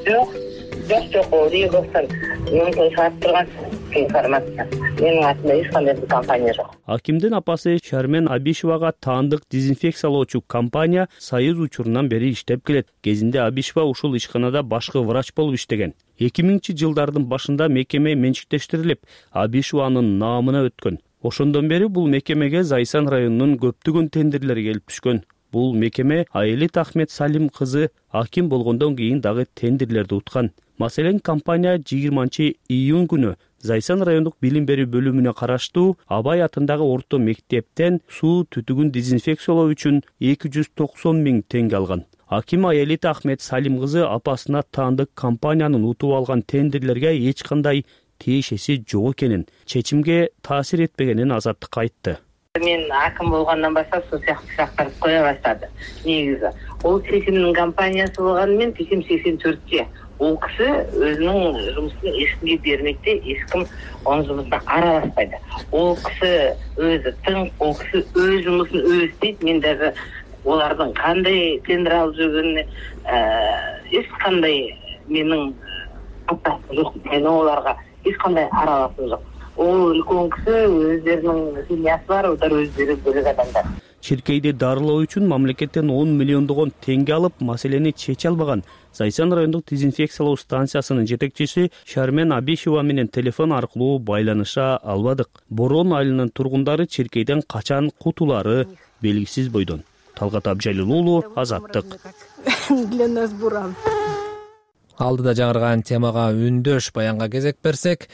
Жок, жок жок, ол ЕГОВтан мүмкүн чыгарып турган информация. Менин атымда эч кандай компания жок. Акимдин апасы Шармен Абишевага таандык дезинфекциялоочу компания Союз учурунан бери иштеп келет. Кезинде Абишева ушул ишканада башкы врач болуп иштеген. эки миңинчи жылдардын башында мекеме менчиктештирилип, Абишеванын наамына өткөн. Ошондон бери бул мекемеге Зайсан районунун көптөгөн тендерлери келип түшкөн. Бул мекеме Аялита Ахмет Салим кызы аким болгондон кийин дагы тендерлерди уткан. Маселен, компания жыйырманчы июнь күнү Зайсан райондук билим берүү бөлүмүнө караштуу Абай атындагы орто мектептен суу түтүгүн дезинфекциялоо үчүн эки жүз токсон миң теңге алган. Аким Аялита Ахмет Салим кызы апасына таандык компаниянын утуп алган тендерлерге эч кандай тиешеси жок экенин, чечимге таасир этпегенин Азаттыкка айтты. Мен аким болгондон баштап ушул сыяктуу сурактарды кое баштады. Негизи, ол чечимдин компаниясы болгону менен чечим сексен төрткө. Ол киши өзүнүн жумушун эч кимге бермейт, эч ким анын жумушуна аралашпайт. Ол киши өзү тың, ол киши өз жумушун өзү istейт. Мен даже олардын кандай тендер алып жүргөнүнө эч кандай менин катнашым жок. Мен оларга эч кандай аралашым жок. Ол үлкөн киши, өздөрүнүн семьясы бар, олар өздөрү бөлөк адамдар. Чиркейди дарылоо үчүн мамлекеттен он миллиондогон теңге алып, маселени чече албаган Зайсан райондук дезинфекциялоо станциясынын жетекчиси Шармен Абишева менен телефон аркылуу байланыша албадык. Борон айылынын тургундары чиркейден качан кутулары белгисиз бойдон. Талгат Абжалил уулу, Азаттык. Для нас буран. Алдыда жаңырган темага үндөш баянга кезек берсек,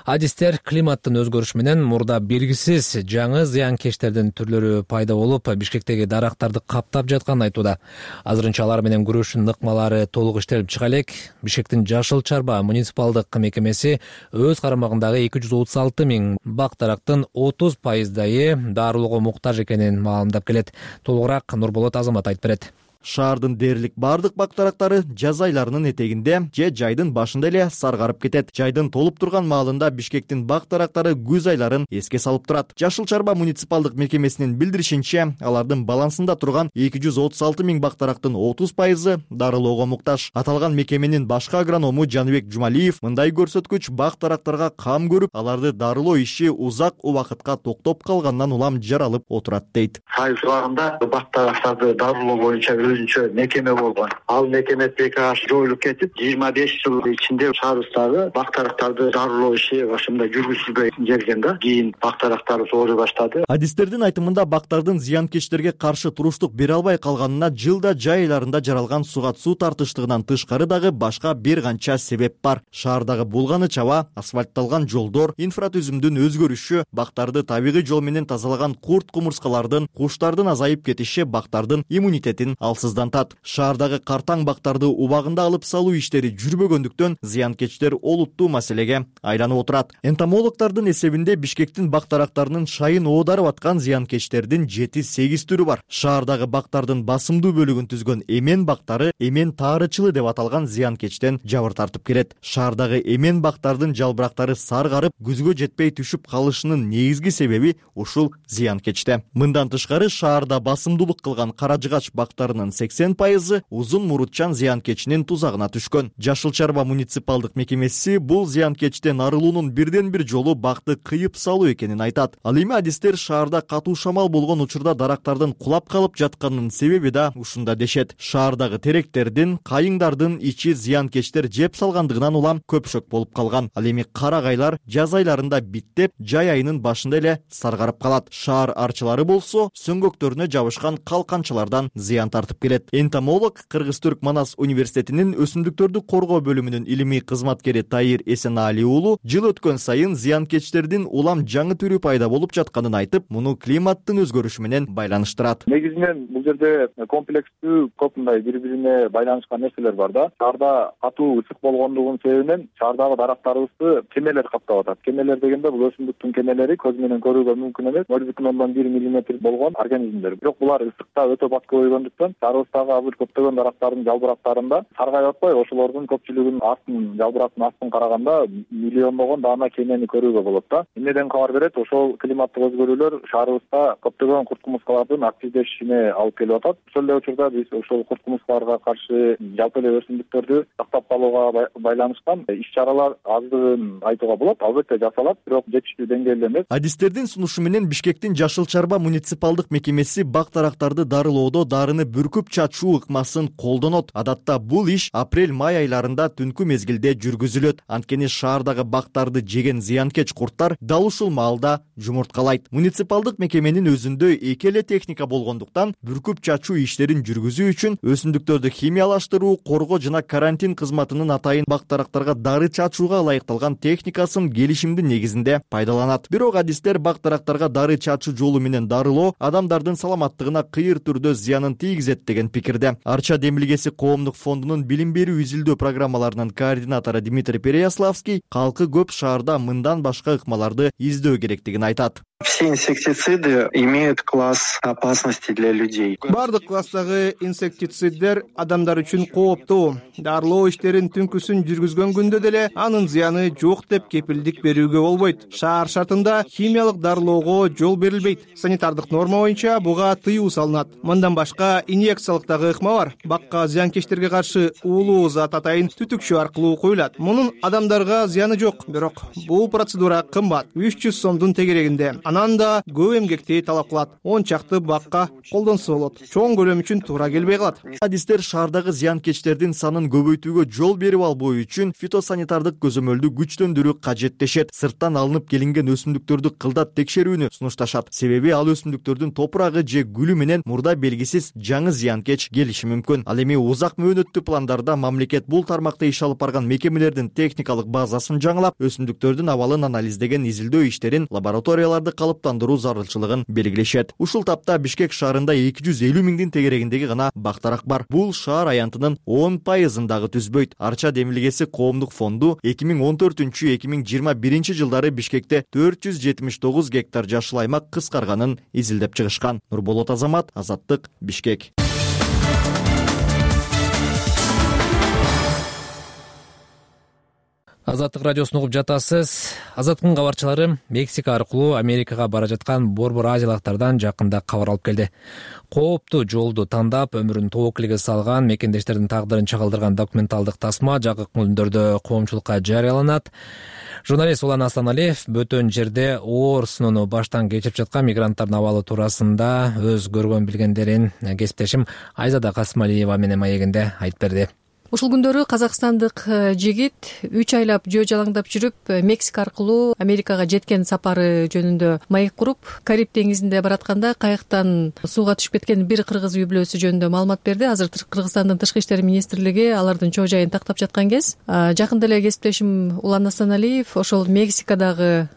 адистер климаттын өзгөрүшү менен мурда белгисиз жаңы зыянкечтердин түрлөрү пайда болуп, Бишкектеги дарактарды каптап жатканын айтууда. Азырынча алар менен күрөшүүнүн ыкмалары толук иштелип чыга элек. Бишкектин Жашыл Чарба муниципалдык мекемеси өз карамагындагы эки жүз отуз алты миң бак дарактын отуз пайыздайы дарылоого муктаж экенин маалымдап келет. Толугураак Нурболот Азамат айтып берет. Шаардын дээрлик бардык бак дарактары жаз айларынын этегинде же жайдын башында эле саргарып кетет. Жайдын толуп турган маалында Бишкектин бак дарактары күз айларын эске салып турат. Жашыл Чарба муниципалдык мекемесинин билдиришинче, алардын балансында турган эки жүз отуз алты миң бак дарактын отуз пайызы дарылоого муктаж. Аталган мекеменин башкы агроному Жаныбек Жумалиев мындай көрсөткүч бак дарактарга кам көрүп, аларды дарылоо иши узак убакытка токтоп калгандан улам жаралып отурат дейт. Сайыл шаарында бак дарактарды дарылоо боюнча өзүнчө мекеме болгон. Ал мекеме приказ жоюлуп кетип, жыйырма беш жыл ичинде шаарыбыздагы бактарактарды дарылоо иши ошондой жүргүзүлбөй келген да. Кийин бактарактарды ооруй баштады. Адистердин айтымында бактардын зыянкечтерге каршы туруштук бере албай калганына жылда жай айларында жаралган сугат суу тартыштыгынан тышкары дагы башка бир канча себеп бар. Шаардагы булганыч аба, асфальтталган жолдор, инфратүзүмдүн өзгөрүшү, бактарды табигый жол менен тазалаган курт кумурскалардын, куштардын азайып кетиши бактардын иммунитетин алсыздантат. Шаардагы картаң бактарды убагында алып салуу иштери жүрбөгөндүктөн зыянкечтер олуттуу маселеге айланып отурат. Энтомологдордун эсебинде Бишкектин бактарактарынын шайын оодарып аткан зыянкечтердин жети сегиз түрү бар. Шаардагы бактардын басымдуу бөлүгүн түзгөн эмен бактары эмен таарычылы деп аталган зыянкечтен жабыр тартып келет. Шаардагы эмен бактардын жалбырактары саргарып, күзгө жетпей түшүп калышынын негизги себеби ушул зыянкечте. Мындан тышкары шаарда басымдуулук кылган кара жыгач бактарынын сексен пайызы узун мурутчан зыянкечинин тузагына түшкөн. Жашыл Чарба муниципалдык мекемеси бул зыянкечтен арылуунун бирден бир жолу бакты кыйып салуу экенин айтат. Ал эми адистер шаарда катуу шамал болгон учурда дарактардын кулап калып жатканынын себеби да ушунда дешет. Шаардагы теректердин, кайыңдардын ичи зыянкечтер жеп салгандыгынан улам көпшөк болуп калган. Ал эми карагайлар жаз айларында биттеп, жай айынын башында эле саргарып калат. Шаар арчылары болсо сөңгөктөрүнө жабышкан калканчалардан зыян тартып келет. Энтомолог Кыргыз-Түрк Манас университетинин өсүмдүктөрдү коргоо бөлүмүнүн илимий кызматкери Таир Эсенаали уулу жыл өткөн сайын зыянкечтердин улам жаңы түрү пайда болуп жатканын айтып, муну климаттын өзгөрүшү менен байланыштырат. Негизинен бул жерде комплекстүү көп мындай бири-бирине байланышкан нерселер бар да. Шаарда катуу ысык болгондугунун себебинен шаардагы дарактарыбызды кемелер каптап атат. Кемелер дегенде бул өсүмдүктүн кемелери көз менен көрүүгө мүмкүн эмес, ноль бүтүн ондон бир миллиметр болгон организмдер. Бирок булар ысыкта өтө бат көбөйгөндүктөн шаарыбыздагы азыр көптөгөн дарактардын жалбырактарында саргайып атпай, ошолордун көпчүлүгүнүн астын, жалбырактын астын караганда миллиондогон даана кемени көрүүгө болот да. Эмнеден кабар берет? Ошол климаттык өзгөрүүлөр шаарыбызда көптөгөн курт кумурскалардын активдешишине алып келип атат. Ошол эле учурда биз ошол курт кумурскаларга каршы жалпы эле өсүмдүктөрдү сактап калууга байланышкан иш-чаралар аздыгын айтууга болот. Албетте жасалат, бирок жетиштүү деңгээлде эмес. Адистердин сунушу менен Бишкектин Жашыл Чарба муниципалдык мекемеси бак-дарактарды дарылоодо дарыны бүркүп чачуу ыкмасын колдонот. Адатта бул иш апрель-май айларында түнкү мезгилде жүргүзүлөт. Анткени шаардагы бактарды жеген зыянкеч курттар дал ушул маалда жумурткалайт. Муниципалдык мекеменин өзүндө эки эле техника болгондуктан бүркүп чачуу иштерин жүргүзүү үчүн өсүмдүктөрдү химиялаштыруу, коргоо жана карантин кызматынын атайын бак-дарактарга дары чачууга ылайыкталган техникасын келишимдин негизинде пайдаланат. Бирок адистер бак-дарактарга дары чачуу жолу менен дарылоо адамдардын саламаттыгына кыйыр түрдө зыянын тийгизет деген пикирде. Арча демилгеси коомдук фондунун билим берүү изилдөө программаларынын координатору Дмитрий Переяславский калкы көп шаарда мындан башка ыкмаларды издөө керектигин айтат. Все инсектициды имеют класс опасности для людей. Бардык класстагы инсектициддер адамдар үчүн кооптуу. Дарылоо иштерин түнкүсүн жүргүзгөн күндө деле анын зыяны жок деп кепилдик берүүгө болбойт. Шаар шартында химиялык дарылоого жол берилбейт. Санитардык норма боюнча буга тыюу салынат. Мындан башка инъекциялык дагы ыкма бар. Бакка зыянкечтерге каршы уулуу зат атайын түтүкчө аркылуу куюлат. Мунун адамдарга зыяны жок, бирок бул процедура кымбат, үч жүз сомдун тегерегинде. Анан да көп эмгекти талап кылат. он чакты бакка колдонсо болот. Чоң көлөм үчүн туура келбей калат. Адистер шаардагы зыянкечтердин санын көбөйтүүгө жол берип албоо үчүн фитосанитардык көзөмөлдү күчтөндүрүү кажеттешет. Сырттан алынып келинген өсүмдүктөрдү кылдат текшерүүнү сунушташат. Себеби ал өсүмдүктөрдүн топурагы же гүлү менен мурда белгисиз жаңы зыянкеч келиши мүмкүн. Ал эми узак мөөнөттүү пландарда мамлекет бул тармакта иш алып барган мекемелердин техникалык базасын жаңылап, өсүмдүктөрдүн абалын анализдеген изилдөө иштерин лабораторияларда калыптандыруу зарылчылыгын белгилешет. Ушул тапта Бишкек шаарында эки жүз элүү миңдин тегерегиндеги гана бактарак бар. Бул шаар аянтынын он пайызын дагы түзбөйт. Арча демилгеси коомдук фонду эки миң он төртүнчү эки миң жыйырма биринчи жылдары Бишкекте төрт жүз жетимиш тогуз гектар жашыл аймак кыскарганын изилдеп чыгышкан. Нурболот Азамат, Азаттык, Бишкек. Азаттык радиосун угуп жатасыз. Азаттыктын кабарчылары Мексика аркылуу Америкага бара жаткан борбор азиялыктардан жакында кабар алып келди. Кооптуу жолду тандап өмүрүн тобокелге салган мекендештердин тагдырын чагылдырган документалдык тасма жакын күндөрдө коомчулукка жарыяланат. Журналист Улан Асаналиев бөтөн жерде оор сыноону баштан кечирип жаткан мигранттардын абалы туурасында өз көргөн билгендерин кесиптешим Айзада Касымалиева менен маегинде айтып берди. Ушул күндөрү казакстандык жигит үч айлап жөө жалаңдап жүрүп Мексика аркылуу Америкага жеткен сапары жөнүндө маек куруп, Кариб деңизинде баратканда кайыктан сууга түшүп кеткен бир кыргыз үй бүлөсү жөнүндө маалымат берди. Азыр Кыргызстандын Тышкы иштер министрлиги алардын чоо жайын тактап жаткан кез. Жакында эле кесиптешим Улан Асаналиев ошол Мексикадагы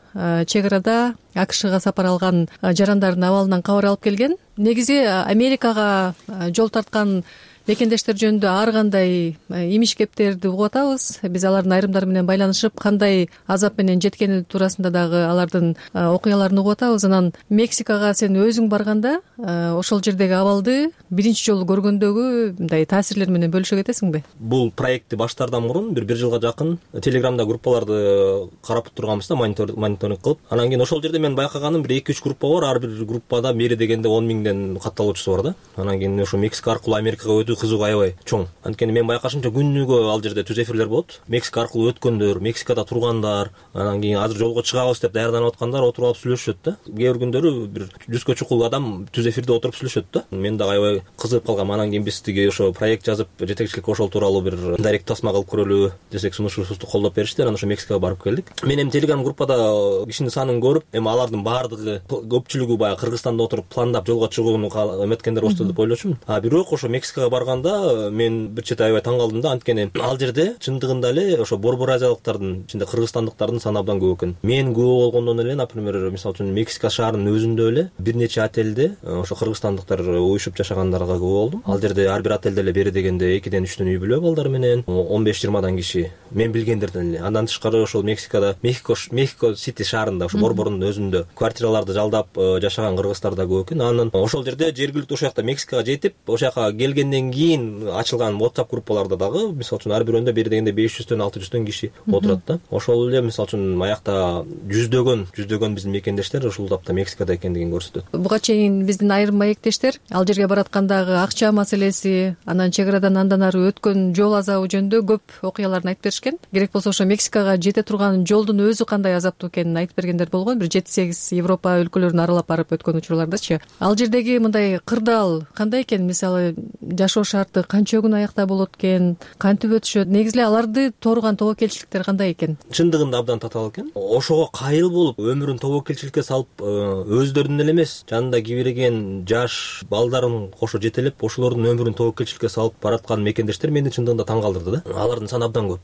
чек арада АКШга сапар алган жарандардын абалынан кабар алып келген. Негизи Америкага жол тарткан мекендештер жөнүндө ар кандай имиш кептерди угуп атабыз. Биз алардын айрымдары менен байланышып, кандай азап менен жеткени туурасында дагы алардын окуяларын угуп атабыз. Анан Мексикага сен өзүң барганда ошол жердеги абалды биринчи жолу көргөндөгү мындай таасирлер менен бөлүшө кетесиңби? Бул проектти баштаардан мурун бир бир жылга жакын Телеграмда группаларды карап турганбыз да, мониторинг кылып. Анан кийин ошол жерде мен байкаганым бир эки үч группа бар. Ар бир группада мери дегенде он миңден катталуучусу бар да. Анан кийин ошо Мексика аркылуу Америкага кызыгуу аябай чоң. Анткени мен байкашымча күнүгө ал жерде түз эфирлер болот. Мексика аркылуу өткөндөр, Мексикада тургандар, анан кийин азыр жолго чыгабыз деп даярданып аткандар отуруп алып сүйлөшөт да. Кээ бир күндөрү бир жүзгө чукул адам түз эфирде отуруп сүйлөшөт да. Мен дагы аябай кызыгып калгам. Анан кийин биз тиги ошо проект жазып, жетекчиликке ошол тууралуу бир дайрект тасма кылып көрөлү десек, сунушубузду колдоп беришти. Анан ошо Мексикага барып келдик. Мен эми Телеграм группада кишинин санын көрүп, эми алардын баардыгы көпчүлүгү баягы Кыргызстанда отуруп пландап жолго чыгууну эметкендер болсо деп ойлочумун. А бирок ошо Мексикага барганда мен бир чети аябай таң калдым да. Анткени ал жерде чындыгында эле ошо борбор азиялыктардын ичинде кыргызстандыктардын саны абдан көп экен. Мен күбө болгондон эле, например, мисалы үчүн Мексика шаарынын өзүндө эле бир нече отелде ошо кыргызстандыктар уюшуп жашагандарга күбө болдум. Ал жерде ар бир отелде эле бери дегенде экиден үчтөн үй бүлө балдар менен он беш жыйырмадан киши мен билгендерден эле. Андан тышкары ошол Мексикада Мехико Мехико Сити шаарында ошо борбордун өзүндө квартираларды жалдап жашаган кыргыздар да көп экен. Анан ошол жерде жергиликтүү ошол жакта Мексикага жетип, ошол жака келгенден кийин ачылган WhatsApp группаларда дагы мисалы үчүн ар бирөөндө бери дегенде беш жүздөн алты жүздөн киши отурат да. Ошол эле мисалы үчүн аякта жүздөгөн жүздөгөн биздин мекендештер ушул тапта Мексикада экендигин көрсөтөт. Буга чейин биздин айрым маектештер ал жерге бараткандагы акча маселеси, анан чек арадан андан ары өткөн жол азабы жөнүндө көп окуяларын айтып беришкен. Керек болсо ошо Мексикага жете турган жолдун өзү кандай азаптуу экенин айтып бергендер болгон. Бир жети сегиз Европа өлкөлөрүн аралап барып өткөн учурлардачы. Ал жердеги мындай кырдаал кандай экен? Мисалы жашоо шарты канча күн аякта болот экен, кантип өтүшөт? Негизи эле аларды тооруган тобокелчиликтер кандай экен? Чындыгында абдан татаал экен. Ошого кайыл болуп өмүрүн тобокелчиликке салып, өздөрүнүн эле эмес, жанында кийбирген жаш балдарын кошо жетелеп, ошолордун өмүрүн тобокелчиликке салып бараткан мекендештер мени чындыгында таң калтырды да. Алардын саны абдан көп.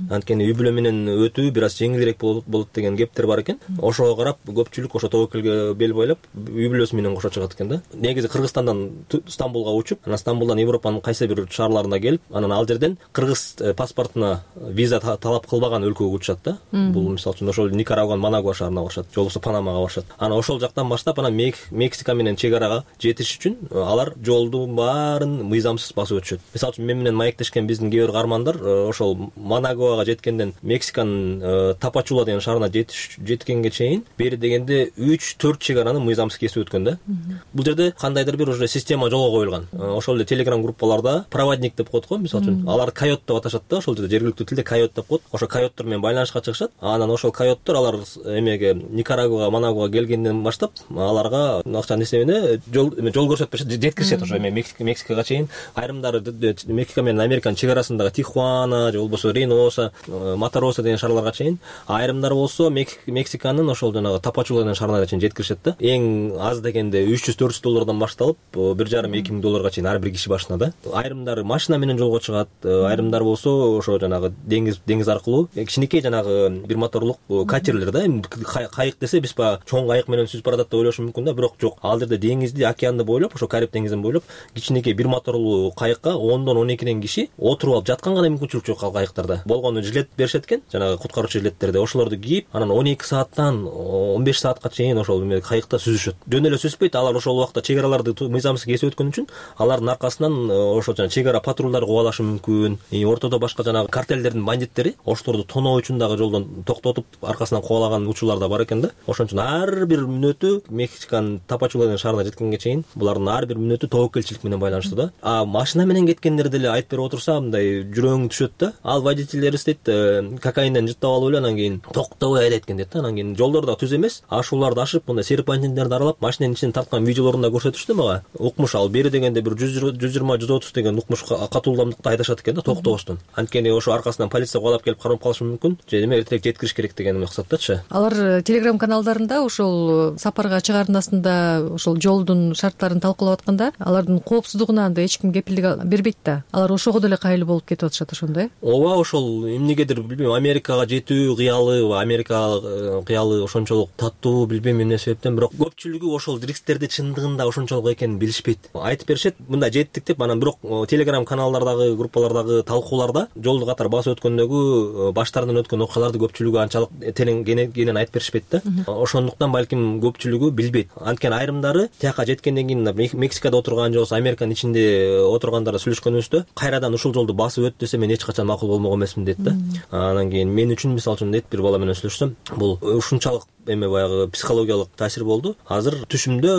Анткени үй бүлө менен өтүү бир аз жеңилирээк болот деген кептер бар экен. Ошого карап көпчүлүк ошо тобокелге бел бойлоп, үй бүлөсү менен кошо чыгат экен да. Негизи Кыргызстандан Стамбулга учуп, анан Стамбулдан Европанын кайсы бир шаарларына келип, анан ал жерден кыргыз паспортуна виза талап кылбаган өлкөгө учат да. Бул мисалы үчүн ошол Никарагуа, Манагуа шаарына барышат, же болбосо Панамага барышат. Анан ошол жактан баштап анан Мексика менен чек арага жетиш үчүн алар жолдун баарын мыйзамсыз басып өтүшөт. Мисалы үчүн мен менен маектешкен биздин кээ бир каармандар ошол Манагуага жеткенден Мексиканын Тапачула деген шаарына жеткенге чейин бери дегенде үч төрт чек араны мыйзамсыз кесип өткөн да. Бул жерде кандайдыр бир уже система жолго коюлган. Ошол эле Телеграм группаларда проводник деп коет го, мисалы үчүн алар койот деп аташат да. Ошол жерде жергиликтүү тилде койот деп коет. Ошо койоттор менен байланышка чыгышат. Анан ошол койоттор алар эмеге Никарагуага, Манагуага келгенден баштап аларга акча несемени жол жол көрсөтүп жеткиришет ошо эме Мексикага чейин. Айрымдары Мексика менен Американын чек арасындагы Тихуана же болбосо Рейноса, Матароса деген шаарларга чейин, айрымдары болсо Мексиканын ошол жанагы Тапачула деген шаарына чейин жеткиришет да. Эң аз дегенде үч жүз төрт жүз доллардан башталып бир жарым эки миң долларга чейин ар бир киши башына да. Айрымдары машина менен жолго чыгат, айрымдары болсо ошо жанагы деңиз деңиз аркылуу кичинекей жанагы бир моторлук катерлер да. Кайык десе биз баягы чоң кайык менен сүзүп баратат деп ойлошу мүмкүн да, бирок жок. Ал жерде деңизди, океанды бойлоп, ошо Кариб деңизин бойлоп кичинекей бир моторлуу кайыкка ондон он экиден киши отуруп алып жатканга да мүмкүнчүлүк жок ал кайыктарда. Болгону жилет беришет экен, жанагы куткаруучу жилеттерди, ошолорду кийип, анан он эки сааттан он беш саатка чейин ошол кайыкта сүзүшөт. Жөн эле сүзбөйт, алар ошол убакта чек араларды мыйзамсыз кесип өткөн үчүн алардын аркасынан ошо жана чек ара патрулдары кубалашы мүмкүн, ортодо башка жанагы картелдердин бандиттери ошолорду тоноо үчүн дагы жолдон токтотуп аркасынан кубалаган учурлар да бар экен да. Ошон үчүн ар бир мүнөтү Мексиканын Тапачула деген шаарына жеткенге чейин булардын ар бир мүнөтү тобокелчилик менен байланыштуу да. А машина менен кеткендер деле айтып берип отурса мындай жүрөгүң түшөт да. Ал водительдерибиз дейт кокаинден жыттап алып эле анан кийин токтобой айдайт экен дейт да. Анан кийин жолдор да түз эмес, ашууларды ашып мындай серпантиндерди аралап машинанын ичинен тарткан видеолорун да көрсөтүштү мага. Укмуш ал бери дегенде бир жүз жыйырма жүз отуз деген укмуш катуу ылдамдыкта айдашат экен да токтобостон. Анткени ошо аркасынан полиция кубалап келип кармап калышы мүмкүн. Же эме эртерээк жеткириш керек деген максаттачы. Алар телеграм каналдарында ошол сапарга чыгарындасында ошол жолдун шарттарын талкуулап атканда алардын коопсуздугуна анда эч ким кепилдик бербейт да. Алар ошого деле кайыл болуп кетип атышат ошондой. Ооба, ошол эмнегедир билбейм, Америкага жетүү кыялы, Америка кыялы ошончолук таттуу билбейм эмне себептен, бирок көпчүлүгү ошол рисктерди чындыгында ошончолук экенин билишпейт. Айтып беришет, мындай жеттик деп, анан бирок телеграм каналдардагы, группалардагы талкууларда жолду катар басып өткөндөгү баштарынан өткөн окуяларды көпчүлүгү анчалык терең кенен айтып беришпейт да. Ошондуктан балким көпчүлүгү билбейт. Анткени айрымдары тияка жеткенден кийин Мексикада отурган же болбосо Американын ичинде отургандарга сүйлөшкөнүбүздө кайрадан ушул жолду басып өт десе мен эч качан макул болмок эмесмин дейт да. Анан кийин мен үчүн мисалы үчүн дейт, бир бала менен сүйлөшсөм, бул ушунчалык эме баягы психологиялык таасир болду. Азыр түшүмдө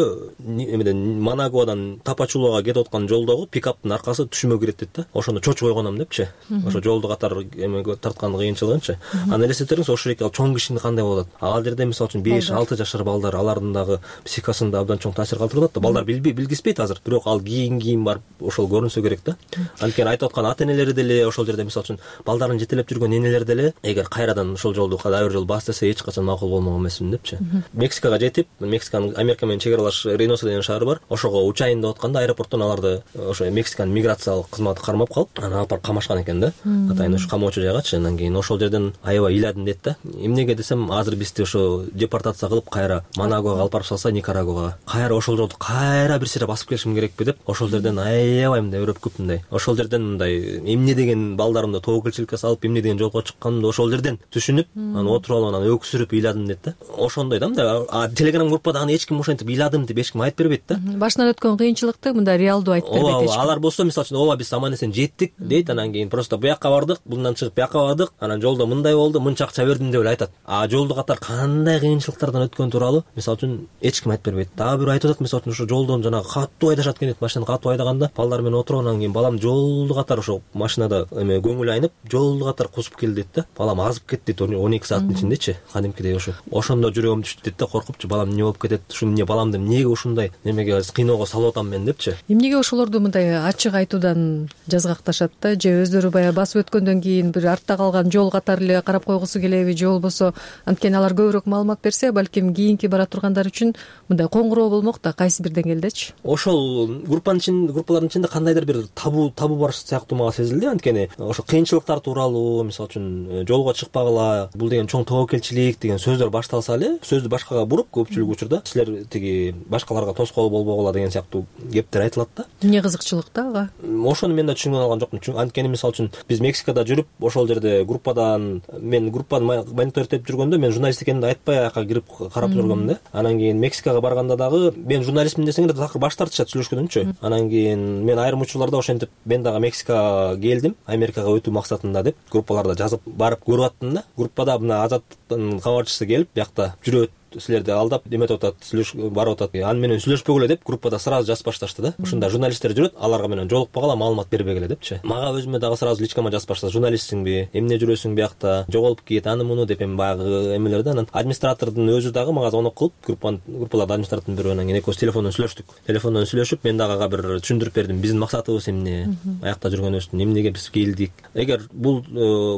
эмеден Манагуадан Тапачулага кетип аткан жолдогу пикаптын аркасы түшүмө кирет дейт да. Ошондо чочуп койгонум депчи. Ошо жолду катар эме тарткан кыйынчылыгынчы. Анан элестетериңиз, ошол эки ал чоң кишини кандай болот. Ал жерде мисалы үчүн беш алты жашар балдар, алардын дагы психикасында абдан чоң таасир калтырып атат да. Балдар билбей билгиспейт азыр, бирок ал кийин кийин барып ошол көрүнсө керек да. Анткени айтып аткан ата-энелери деле ошол жерде мисалы үчүн балдарын жетелеп жүргөн энелер деле эгер кайрадан ошол жолду дагы бир жолу бас десе эч качан макул болмок эмесмин депчи. Мексикага жетип, Мексиканын Америка менен чек аралаш Рейноса деген шаары бар. Ошого учайын деп атканда аэропорттон аларды ошо Мексиканын миграциялык кызматы кармап калып, анан алып барып камашкан экен да. Атайын ошо камоочу жайгачы. Анан кийин ошол жерден аябай ыйладым дейт да. Эмнеге десем, азыр бизди ошо депортация кылып кайра Манагуага алып барып салса, Никарагуага, кайра ошол жолду кайра бир сыйра басып келишим керекпи деп, ошол жерден аябай мындай өрөпкүп мындай. Ошол жерден мындай эмне деген балдарымды тобокелчиликке салып, эмне деген жолго чыкканымды ошол жерден түшүнүп, анан отуруп алып анан өксүрүп ыйладым дейт да. Ошондой да мындай. А телеграм группада аны эч ким ошентип ыйладым деп эч ким айтып бербейт да. Башынан өткөн кыйынчылыкты мындай реалдуу айтып бербейт эч ким. Алар болсо мисалы үчүн ооба биз аман эсен жеттик дейт, анан кийин просто буякка бардык, bundan чыгып буякка бардык, анан жолдо мындай болду, мынча акча бердим деп эле айтат. А жолду катар кандай кыйынчылыктардан өткөн тууралуу мисалы үчүн эч ким айтып бербейт. Дагы бирөө айтып атат, мисалы үчүн ошо жолдон жанагы катуу айдашат экен дейт, машинаны катуу айдаганда балдар менен отуруп, анан кийин балам жолду катар ошо машинада эме көңүл айнып, жолду катар кусуп келди дейт да. Балам азып кетти дейт он эки сааттын ичиндечи, кадимкидей ошо. Ошондо жүрөгүм түштү дейт да, коркупчу, балам эмне болуп кетет, ушу эмне баламды эмнеге ушундай немеге кыйноого салып атам мен депчи. Эмнеге ошолорду мындай ачык айтуудан жазгакташат да, же өздөрү баягы басып өткөндөн кийин бир артта калган жол катары эле карап койгусу келеби, же болбосо анткени алар көбүрөөк маалымат берсе, балким кийинки бара тургандар үчүн мындай коңгуроо болмок да кайсы бир деңгээлдечи. Ошол группанын ичинде, группалардын ичинде кандайдыр бир табу табу бар сыяктуу мага сезилди. Анткени ошо кыйынчылыктар тууралуу, мисалы үчүн жолго чыкпагыла, бул деген чоң тобокелчилик деген сөздөр башталса эле, сөздү башкага буруп, көпчүлүк учурда силер тиги башкаларга тоскоол болбогула деген сыяктуу кептер айтылат да. Эмне кызыкчылык да ага? Ошону мен да түшүнүп алган жокмун. Анткени мисалы үчүн биз Мексикада жүрүп, ошол жерде группадан мен группаны мониторингдеп жүргөндө мен журналист экенимди айтпай аяка кирип карап жүргөмүн да. Анан кийин Мексикага барганда дагы мен журналистмин десең эле такыр баш тартышат сүйлөшкөндөнчү. Анан кийин мен айрым учурларда ошентип мен дагы Мексикага келдим, Америкага өтүү максатында деп группаларда жазып барып көрүп аттым да. Группада мына Азаттын кабарчысы келип, биякта жүрөт, силерди алдап эметип атат, сүйлөшүп барып атат. Аны менен сүйлөшпөгүлө деп группада сразу жазып башташты да. Ушунда журналисттер жүрөт, аларга менен жолукпагыла, маалымат бербегиле депчи. Мага өзүмө дагы сразу личкама жазып баштады. Журналистсиңби? Эмне жүрөсүң биякта? Жоголуп кет, аны муну деп эми баягы эмелерди. Анан администратордун өзү дагы мага звонок кылып, группанын группалардын администратордун бирөө, анан кийин экөөбүз телефондон сүйлөштүк. Телефондон сүйлөшүп, мен дагы ага бир түшүндүрүп бердим. Биздин максатыбыз эмне? Аякта жүргөнүбүздүн эмнеге биз келдик? Эгер бул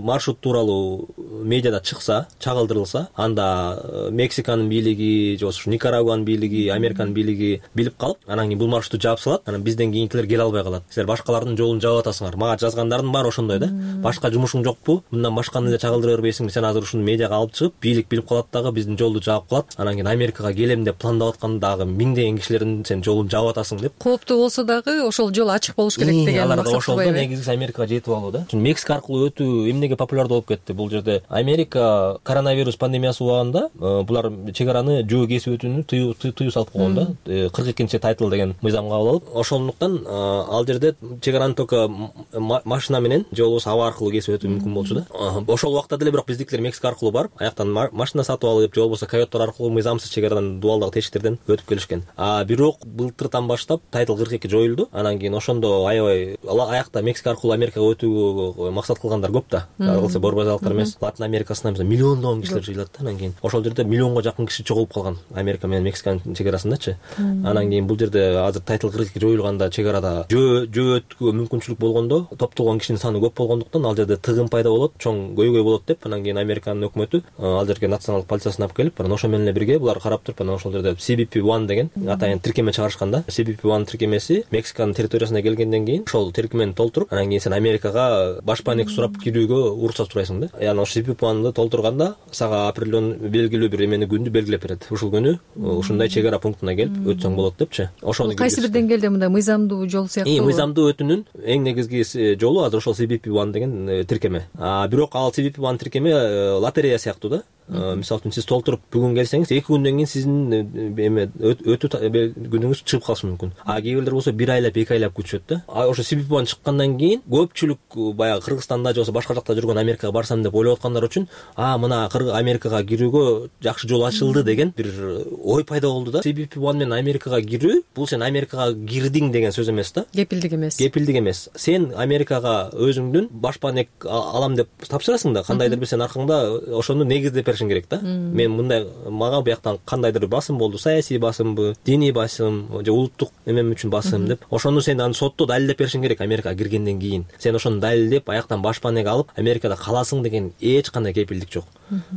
маршрут тууралуу медиада чыкса, чагылдырылса, анда Мексиканын бийлиги, ошо Никарагуанын бийлиги, Американын бийлиги билип калып, анан кийин бул маршрутту жаап салат. Анан бизден кийинкилер келе албай калат. Силер башкалардын жолун жаап атасыңар. Мага жазгандардын баары ошондой да. Башка жумушуң жокпу? Мындан башканы эле чагылдыра бербейсиңби? Сен азыр ушуну медиага алып чыгып, бийлик билип калат дагы, биздин жолду жаап калат. Анан кийин Америкага келем деп пландап аткан дагы миңдеген кишилердин сен жолун жаап атасың деп. Кооптуу болсо дагы ошол жол ачык болуш керек деген максат. Ошолдо негизгиси Америкага жетип алуу да. Мексика аркылуу өтүү эмнеге популярдуу болуп кетти? Бул жерде Америка коронавирус пандемиясы убагында булар чек араны жөө кесип өтүүнү тыюу салып койгон да, кырк экинчи тайтыл деген мыйзам кабыл алып, ошондуктан ал жерде чек араны только машина менен же болбосо аба аркылуу кесип өтүү мүмкүн болчу да. Ошол убакта деле бирок биздикилер Мексика аркылуу барып, аяктан машина сатып алып же болбосо койоттор аркылуу мыйзамсыз чек арадан дубалдагы тешиктерден өтүп келишкен. А бирок былтыртан баштап тайтыл кырк эки жоюлду. Анан кийин ошондо аябай аякта Мексика аркылуу Америкага өтүүгө максат кылгандар көп да. Калса борбор базалыктар эмес, Латын Америкасынан миллиондогон кишилер жыйылат да. Анан кийин ошол жерде миллионго жакын киши чогулуп калган Америка менен Мексиканын чек арасындачы. Анан кийин бул жерде азыр тайтыл кырк эки жоюлганда чек арада жөө жөө өтүүгө мүмкүнчүлүк болгондо, топтолгон кишинин саны көп болгондуктан ал жерде тыгын пайда болот, чоң көйгөй болот деп, анан кийин Американын өкмөтү ал жерге националдык полициясын алып келип, анан ошо менен эле бирге булар карап туруп, анан ошол жерде си би пи один деген атайын тиркеме чыгарышкан да. си би пи один тиркемеси Мексиканын территориясына келгенден кийин ошол тиркемени толтуруп, анан кийин сен Америкага башпаанек сурап кирүүгө уруксат сурайсың да. Яны ошо си би пи одунду толтурганда сага определенный белгилүү бир эмени күндү белгилеп берет. Ушул күнү ушундай чек ара пунктуна келип өтсөң болот депчи. Ошону кайсы бир деңгээлде мындай мыйзамдуу жол сыяктуу? Мыйзамдуу өтүүнүн эң негизги жолу азыр ошол си би пи один деген тиркеме. А бирок ал си би пи один тиркеме лотерея сыяктуу да. Мисалы үчүн сиз толтуруп бүгүн келсеңиз, эки күндөн кийин сиздин эме өтүү күнүңүз чыгып калышы мүмкүн. А кээ бирлер болсо бир айлап, эки айлап күтүшөт да. А ошо си би пи один чыккандан кийин көпчүлүк баягы Кыргызстанда же болбосо башка жакта жүргөн Америкага барсам деп ойлоп аткандар үчүн, а мына Америкага кирүүгө жакшы жол ачылды деген бир ой пайда болду да. си би пи один менен Америкага кирүү бул сен Америкага кирдиң деген сөз эмес да. Кепилдик эмес. Кепилдик эмес. Сен Америкага өзүңдүн башпаанек алам деп тапшырасың да, кандайдыр бир сен аркаңда ошону негиздеп беришиң керек да. Мен мындай мага бияктан кандайдыр басым болду, саясий басымбы, диний басым же улуттук эмем үчүн басым деп, ошону сен аны сотто далилдеп беришиң керек Америкага киргенден кийин. Сен ошону далилдеп аяктан башпаанек алып Америкада каласың деген эч кандай кепилдик жок.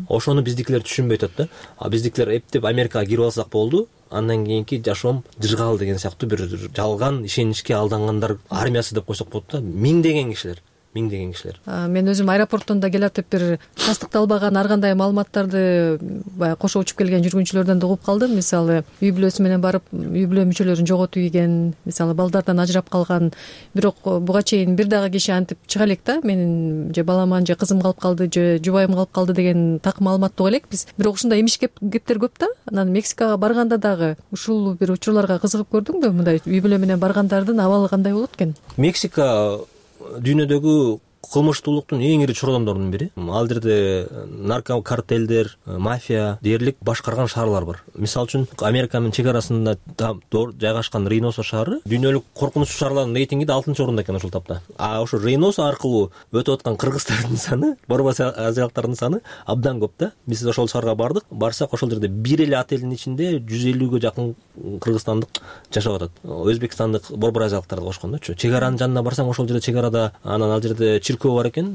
Ошону биздикилер түшүнбөй атат да. А биздикилер эптеп Америкага кирип алсак болду, андан кийинки жашоом жыргал деген сыяктуу бир жалган ишеничке алдангандар армиясы деп койсок болот да. Миңдеген кишилер. Миңдеген кишилер. Мен өзүм аэропорттон да келатып бир тастыкталбаган ар кандай маалыматтарды баягы кошо учуп келген жүргүнчүлөрдөн да угуп калдым. Мисалы, үй бүлөсү менен барып, үй бүлө мүчөлөрүн жоготуп ийген, мисалы балдардан ажырап калган. Бирок буга чейин бир дагы киши антип чыга элек да. Менин же баламан же кызым калып калды, же жубайым калып калды деген так маалымат уга элекпиз. Бирок ушундай имиш кептер көп да. Анан Мексикага барганда дагы ушул бир учурларга кызыгып көрдүңбү? Мындай үй бүлө менен баргандардын абалы кандай болот экен? Мексика дүйнөдөгү кылмыштуулуктун эң ири чордондорунун бири. Ал жерде наркокартелдер, мафия дээрлик башкарган шаарлар бар. Мисалы үчүн Америка менен чек арасында жайгашкан Рейносо шаары дүйнөлүк коркунучтуу шаарлардын рейтингинде алтынчы орунда экен ушул тапта. А ошо Рейносо аркылуу өтүп аткан кыргыздардын саны, борбор азиялыктардын саны абдан көп да. Биз ошол шаарга бардык. Барсак ошол жерде бир эле отелдин ичинде жүз элүүгө жакын кыргызстандык жашап атат. Өзбекстандык борбор азиялыктарды кошкондо. Чек аранын жанына барсаң, ошол жерде чек арада анан ал жерде чиркөө бар экен.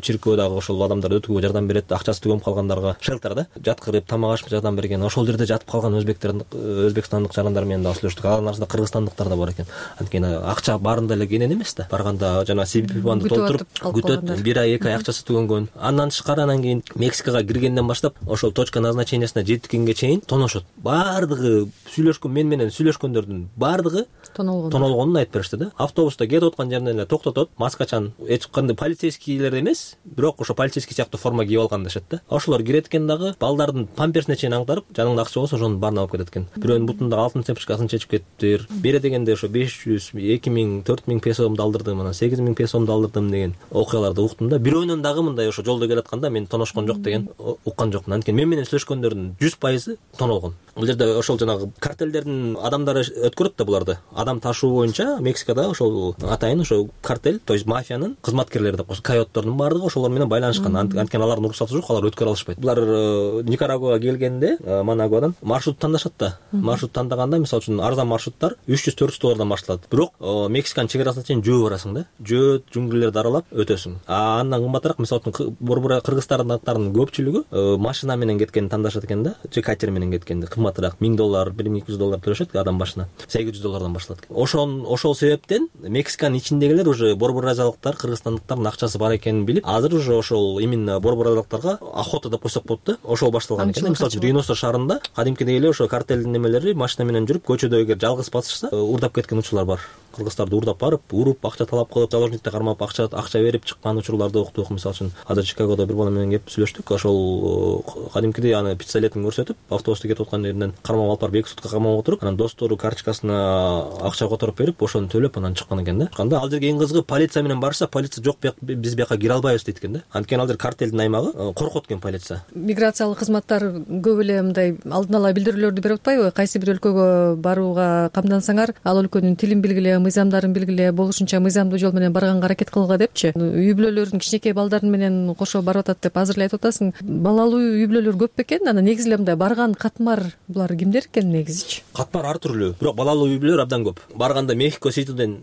Чиркөө дагы ошол адамдар өтүүгө жардам берет, акчасы түгөнүп калгандарга шелтер да, жаткырып тамак ашып жардам берген. Ошол жерде жатып калган өзбектердин, өзбекстандык жарандар менен да сүйлөштүк. Алардын арасында кыргызстандыктар да бар экен. Анткени акча баарында эле кенен эмес да. Барганда жана си би пи одунду толтуруп күтөт, бир ай, эки ай акчасы түгөнгөн. Андан тышкары анан кийин Мексикага киргенден баштап ошол точка назначениясына жеткенге чейин тоноошот. Баардыгы сүйлөшкөн, мен менен сүйлөшкөндөрдүн баардыгы тонолгонун айтып беришти да. Автобуста кетип аткан жеринен эле токтотот, маскачан, эч кандай полицейскийлер эмес, бирок ошо полицейский сыяктуу форма кийип алган дешет да. Ошолор кирет экен дагы, балдардын памперсине чейин аңтарып, жаныңда акча болсо ошонун баарын алып кетет экен. Бирөөнүн бутундагы алтын цепочкасын чечип кетиптир. Бере дегенде ошо беш жүз, эки миң, төрт миң песомду алдырдым, анан сегиз миң песомду алдырдым деген окуяларды уктум да. Бирөөнүн дагы мындай ошо жолдо келатканда мен тоношкон жок деген уккан жокмун. Анткени мен менен сүйлөшкөндөрдүн жүз пайызы тонолгон. Бул жерде ошол жанагы картелдердин адамдары өткөрөт да буларды. Адам ташуу боюнча Мексикада ошол атайын ошо картель, то есть мафиянын кызматкерлери деп коюш, койоттордун баардыгы ошолор менен байланышкан. Анткени алардын уруксаты жок, алар өткөрө алышпайт. Булар Никарагуага келгенде, Манагуадан маршрут тандашат да. Маршрут тандаганда, мисалы үчүн арзан маршруттар үч жүз төрт жүз доллардан башталат. Бирок Мексиканын чек арасына чейин жөө барасың да. Жөө жуңгүрлөрдү аралап өтөсүң. А андан кымбатыраак, мисалы үчүн борбор кыргызстандыктардын көпчүлүгү машина менен кеткенди тандашат экен да, же катер менен кеткенди кымбатыраак, миң доллар, бир миң эки жүз доллар төлөшөт адам башына. сегиз жүз доллардан башталат экен. Ошол ошол себептен Мексиканын ичиндегилер уже борбор азиялыктар, кыргызстандыктардын акчасы бар экенин билип, азыр уже ошол именно борбор азиялыктарга охота деп койсок болот да. Ошол башталган экен. Мисалы үчүн Рейносо шаарында кадимкидей эле ошо картелдин немелери машина менен жүрүп, көчөдө эгер жалгыз басышса, урдап кеткен учурлар бар. кыргыздарды уурдап барып, уруп, акча талап кылып, заложникте кармап, акча акча берип чыккан учурларды уктук. Мисалы үчүн азыр Чикагодо бир бала менен кеп сүйлөштүк. Ошол кадимкидей аны пистолетин көрсөтүп, автобусту кетип аткан жеринен кармап алып барып эки сутка камап отуруп, анан достору карточкасына акча которуп берип, ошону төлөп анан чыккан экен да. Чыкканда ал жерге эң кызыгы полиция менен барышса, полиция жок, биз бияка кире албайбыз дейт экен да. Анткени ал жер картелдин аймагы, коркот экен полиция. Миграциялык кызматтар көп эле мындай алдын ала билдирүүлөрдү берип атпайбы? Кайсы бир өлкөгө барууга камдансаңар, ал өлкөнүн тилин билгиле, мыйзамдарын билгиле, болушунча мыйзамдуу жол менен барганга аракет кылгыла депчи. Үй бүлөлөрдүн кичинекей балдарын менен кошо барып атат деп азыр эле айтып атасың. Балалуу үй бүлөлөр көп бекен? Анан негизи эле мындай барган катмар булар кимдер экен негизичи? Катмар ар түрлүү, бирок балалуу үй бүлөлөр абдан көп. Барганда Мехико Ситиден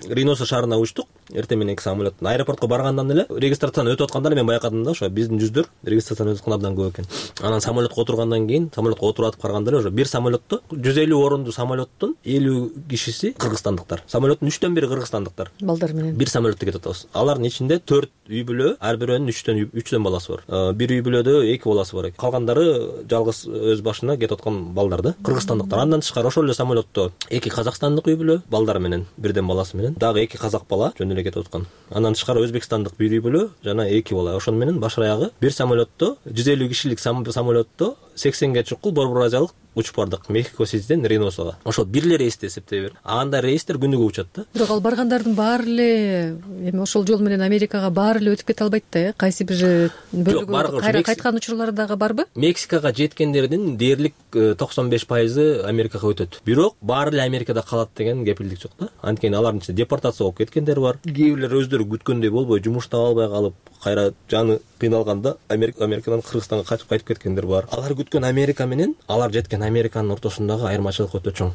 Рейноса шаарына учтук. Эртең менен эки самолеттон аэропортко баргандан эле регистрацияны өтүп атканда эле мен байкадым да, ошо биздин жүздөр регистрацияны өтүп аткан абдан көп экен. Анан самолетко отургандан кийин, самолетко отуруп атып караганда эле ошо бир самолетто жүз элүү орунду самолеттон элүү кишиси кыргызстандыктар. Самолеттун үчтөн бири кыргызстандыктар. Балдар менен бир самолетте кетип атабыз. Алардын ичинде төрт үй бүлө, ар бирөөнүн үчтөн үчтөн баласы бар. Бир үй бүлөдө эки баласы бар экен. Калгандары жалгыз өз башына кетип аткан балдар да, кыргызстандыктар. Андан тышкары ошол эле самолетто эки казакстандык үй бүлө, балдары менен, бирден баласы менен, дагы эки казак бала жөн эле кетип аткан. Андан тышкары өзбекстандык бир үй бүлө жана эки бала. Ошону менен баш аягы бир самолетто жүз элүү кишилик самолетто сексенге чукул борбор азиялык учуп бардык Мехико Ситиден Рейносага. Ошол бир эле рейсте эсептей бер. Анда рейстер күнүгө учат да. Бирок ал баргандардын баары эле эми ошол жол менен Америкага баары эле өтүп кете албайт да, э? Кайсы бир бөлүгү кайра кайткан учурлары дагы барбы? Мексикага жеткендердин дээрлик токсон беш пайызы Америкага өтөт. Бирок баары эле Америкада калат деген кепилдик жок да. Анткени алардын ичинде депортация болуп кеткендер бар. Кээ бирлер өздөрү күткөндөй болбой жумуш таба албай калып, кайра жаны кыйналганда Америкадан Кыргызстанга качып кайтып кеткендер бар. Алар күткөн Америка менен алар жеткен Американын ортосундагы айырмачылык өтө чоң.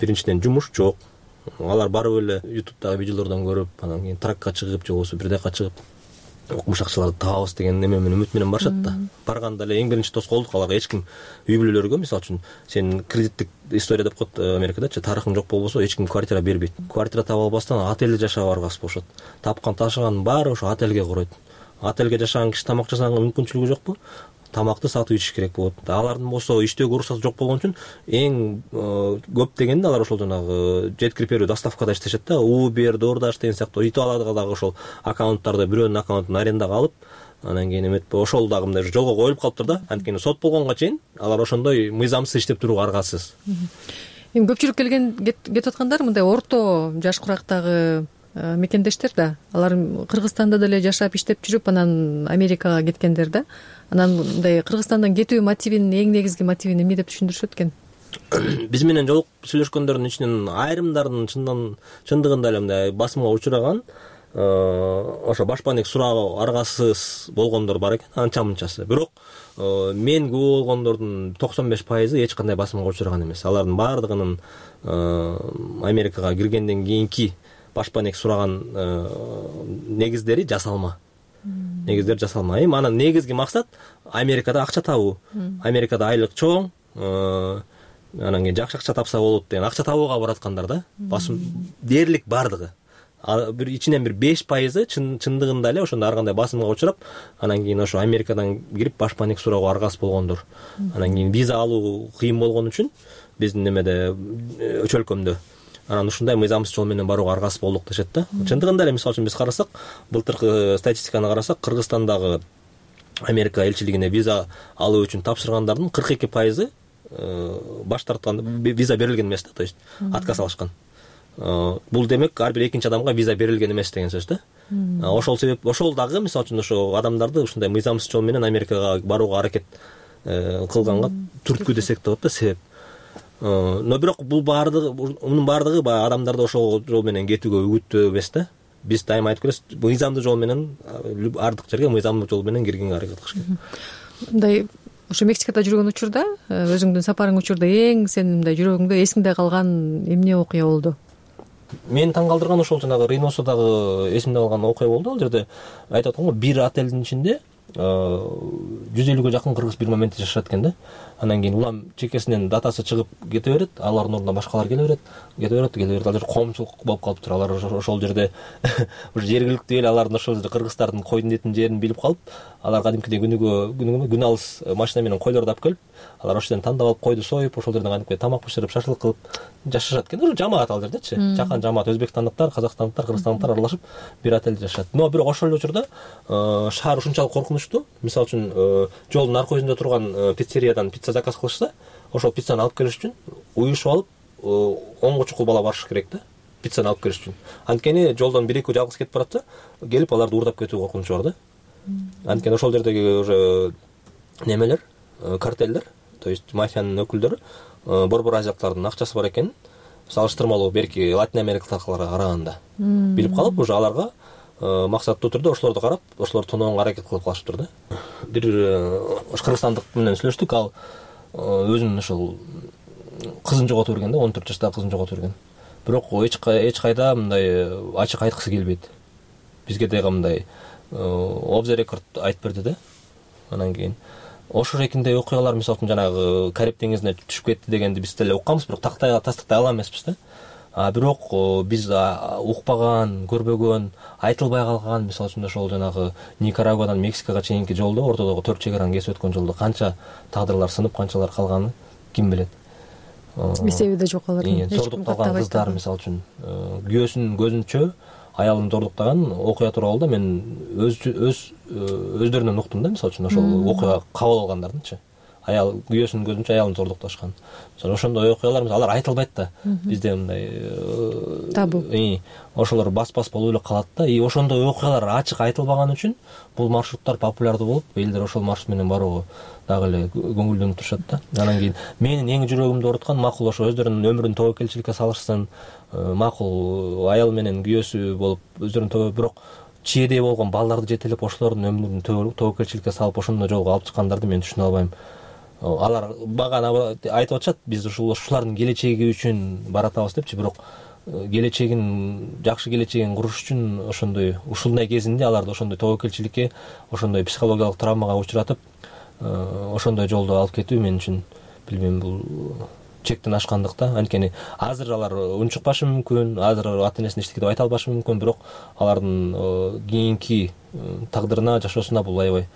Биринчиден жумуш жок. Алар барып эле ютубтагы видеолордон көрүп, анан кийин тракка чыгып, же болбосо бир дакка чыгып укмушакчыларды табабыз деген неме менен үмүт менен барышат да. Барганда эле эң биринчи тоскоолдук аларга эч ким үй бүлөлөргө, мисалы үчүн сен кредиттик история деп коет Америкадачы, тарыхың жок болбосо эч ким квартира бербейт. Квартира таба албастан отельде жашап аргасыз болушат. Тапкан ташыганын баары ошо отельге куройт. Отельге жашаган киши тамак жасаганга мүмкүнчүлүгү жокпу? Тамакты сатып ичиш керек болот. Алардын болсо иштөөгө уруксаты жок болгон үчүн эң көп дегенде алар ошол жанагы жеткирип берүү доставкада иштешет да. Uber, DoorDash деген сыяктуу Италияда дагы ошол аккаунттарды бирөөнүн аккаунтун арендага алып, анан кийин эметпи ошол дагы мындай жолго коюлуп калыптыр да. Анткени сот болгонго чейин алар ошондой мыйзамсыз иштеп турууга аргасыз. Эми көпчүлүк келген кетип аткандар мындай орто жаш курактагы мекендештер да. Алар Кыргызстанда деле жашап иштеп жүрүп анан Америкага кеткендер да. Анан мындай Кыргызстандан кетүү мотивин, эң негизги мотивин эмне деп түшүндүрүшөт экен? Биз менен жолугуп сүйлөшкөндөрдүн ичинен айрымдардын чындан чындыгында эле мындай басымга учураган ошо башпаанек суроо аргасыз болгондор бар экен, анча мынчасы. Бирок мен күбө болгондордун токсон беш пайызы эч кандай басымга учураган эмес. Алардын баардыгынын Америкага киргенден кийинки башпаанек сураган негиздери жасалма. Негиздер жасалма. Эми анан негизги максат Америкада акча табуу. Америкада айлык чоң, анан кийин жакшы акча тапса болот деген акча табууга бараткандар да. Басым дээрлик бардыгы. Бир ичинен бир беш пайызы чындыгында эле ошондой ар кандай басымга учурап, анан кийин ошо Америкадан кирип башпаанек суроого аргасыз болгондор. Анан кийин виза алуу кыйын болгон үчүн биздин немеде чөлкөмдө анан ушундай мыйзамсыз жол менен барууга аргасыз болдук дешет да. Чындыгында эле мисалы үчүн биз карасак, былтыркы статистиканы карасак, Кыргызстандагы Америка элчилигине виза алуу үчүн тапшыргандардын кырк эки пайызы баш тарткан, виза берилген эмес да, то есть отказ алышкан. Бул демек ар бир экинчи адамга виза берилген эмес деген сөз да. Ошол себеп, ошол дагы мисалы үчүн ошо адамдарды ушундай мыйзамсыз жол менен Америкага барууга аракет кылганга түрткү десек да болот да, себеп. Но бирок бул баардыгы, мунун баардыгы баягы адамдарды ошол жол менен кетүүгө үгүттөө эмес да. Биз дайыма айтып келебиз, мыйзамдуу жол менен ардык жерге мыйзамдуу жол менен киргенге аракет кылыш керек. Мындай ошо Мексикада жүргөн учурда, өзүңдүн сапарың учурда эң сенин мындай жүрөгүңдө эсиңде калган эмне окуя болду? Мени таң калтырган ошол жанагы Рейносодагы эсимде калган окуя болду. Ал жерде айтып аткам го, бир отелдин ичинде жүз элүүгө жакын кыргыз бир моментте жашашат экен да. Анан кийин улам чекесинен датасы чыгып кете берет, алардын ордуна башкалар келе берет, кете берет, келе берет. Ал жер коомчулук болуп калыптыр. Алар ошол жерде ушу жергиликтүү эл алардын ошол жерде кыргыздардын койдун этинин жерин билип калып, алар кадимкидей күнүгө күнүгө күн алыс машина менен койлорду алып келип, алар ошол жерден тандап алып койду союп ошол жерден кантип тамак бышырып шашлык кылып жашашат экен. Уже жамаат ал жердечи, жакан жамаат, өзбекстандыктар, казакстандыктар, кыргызстандыктар аралашып бир отельде жашашат. Но бирок ошол эле учурда шаар ушунчалык коркунучтуу. Мисалы үчүн жолдун арка жүзүндө турган пиццериядан пицца заказ кылышса, ошол пиццаны алып келиш үчүн уюшуп алып онго чукул бала барыш керек да, пиццаны алып келиш үчүн. Анткени жолдон бир экөө жалгыз кетип баратса, келип аларды уурдап кетүү коркунучу бар да. Анткени ошол жердеги уже немелер, картелдер, то есть мафиянын өкүлдөрү борбор азиялыктардын акчасы бар экенин салыштырмалуу берки Латин Америкалыктарга караганда билип калып, уже аларга максаттуу түрдө ошолорду карап, ошолорду тоноого аракет кылып калышыптыр да. Бир кыргызстандык менен сүйлөштүк, ал өзүнүн ошол кызын жоготуп берген да, он төрт жаштагы кызын жоготуп берген. Бирок эч кайда мындай ачык айткысы келбейт. Бизге дагы мындай off the record айтып берди да. Анан кийин ошол шекиндей окуялар, мисалы үчүн жанагы Кариб деңизине түшүп кетти дегенди биз деле укканбыз, бирок тактайга тастыктай ала эмеспиз да. А бирок биз укпаган, көрбөгөн, айтылбай калган, мисалы үчүн ошол жанагы Никарагуадан Мексикага чейинки жолдо, ортодогу төрт чек араны кесип өткөн жолдо канча тагдырлар сынып, канчалар калганын ким билет. Эсеби да жок алардын. Зордукталган кыздар, мисалы үчүн күйөөсүнүн көзүнчө аялын зордуктаган окуя тууралуу да мен өз өз өздөрүнөн уктум да, мисалы үчүн ошол окуяга кабыл алгандардынчы. Аял күйөөсүнүн көзүнчө аялын зордукташкан. Ошондой окуялар алар айтылбайт да. Бизде мындай табу. Ошолор бас-бас болуп эле калат да. И ошондой окуялар ачык айтылбаган үчүн бул маршруттар популярдуу болуп, элдер ошол маршрут менен барууга дагы эле көңүлдөнүп турушат да. Анан кийин менин эң жүрөгүмдү ооруткан, макул ошо өздөрүнүн өмүрүн тобокелчиликке салышсын, макул аял менен күйөөсү болуп өздөрүн тобо, бирок чийедей болгон балдарды жетелеп ошолордун өмүрүн тобокелчиликке салып ошондой жолго алып чыккандарды мен түшүнө албайм. Алар багана айтып атышат, биз ушулардын келечеги үчүн баратабыз депчи, бирок келечегин, жакшы келечегин куруш үчүн ошондой ушундай кезинде аларды ошондой тобокелчиликке, ошондой психологиялык травмага учуратып, ошондой жолдо алып кетүү мен үчүн билбейм, бул чектен ашкандык да. Анткени азыр алар унчукпашы мүмкүн, азыр ата энесине эчтеке деп айта албашы мүмкүн, бирок алардын кийинки тагдырына, жашоосуна бул аябай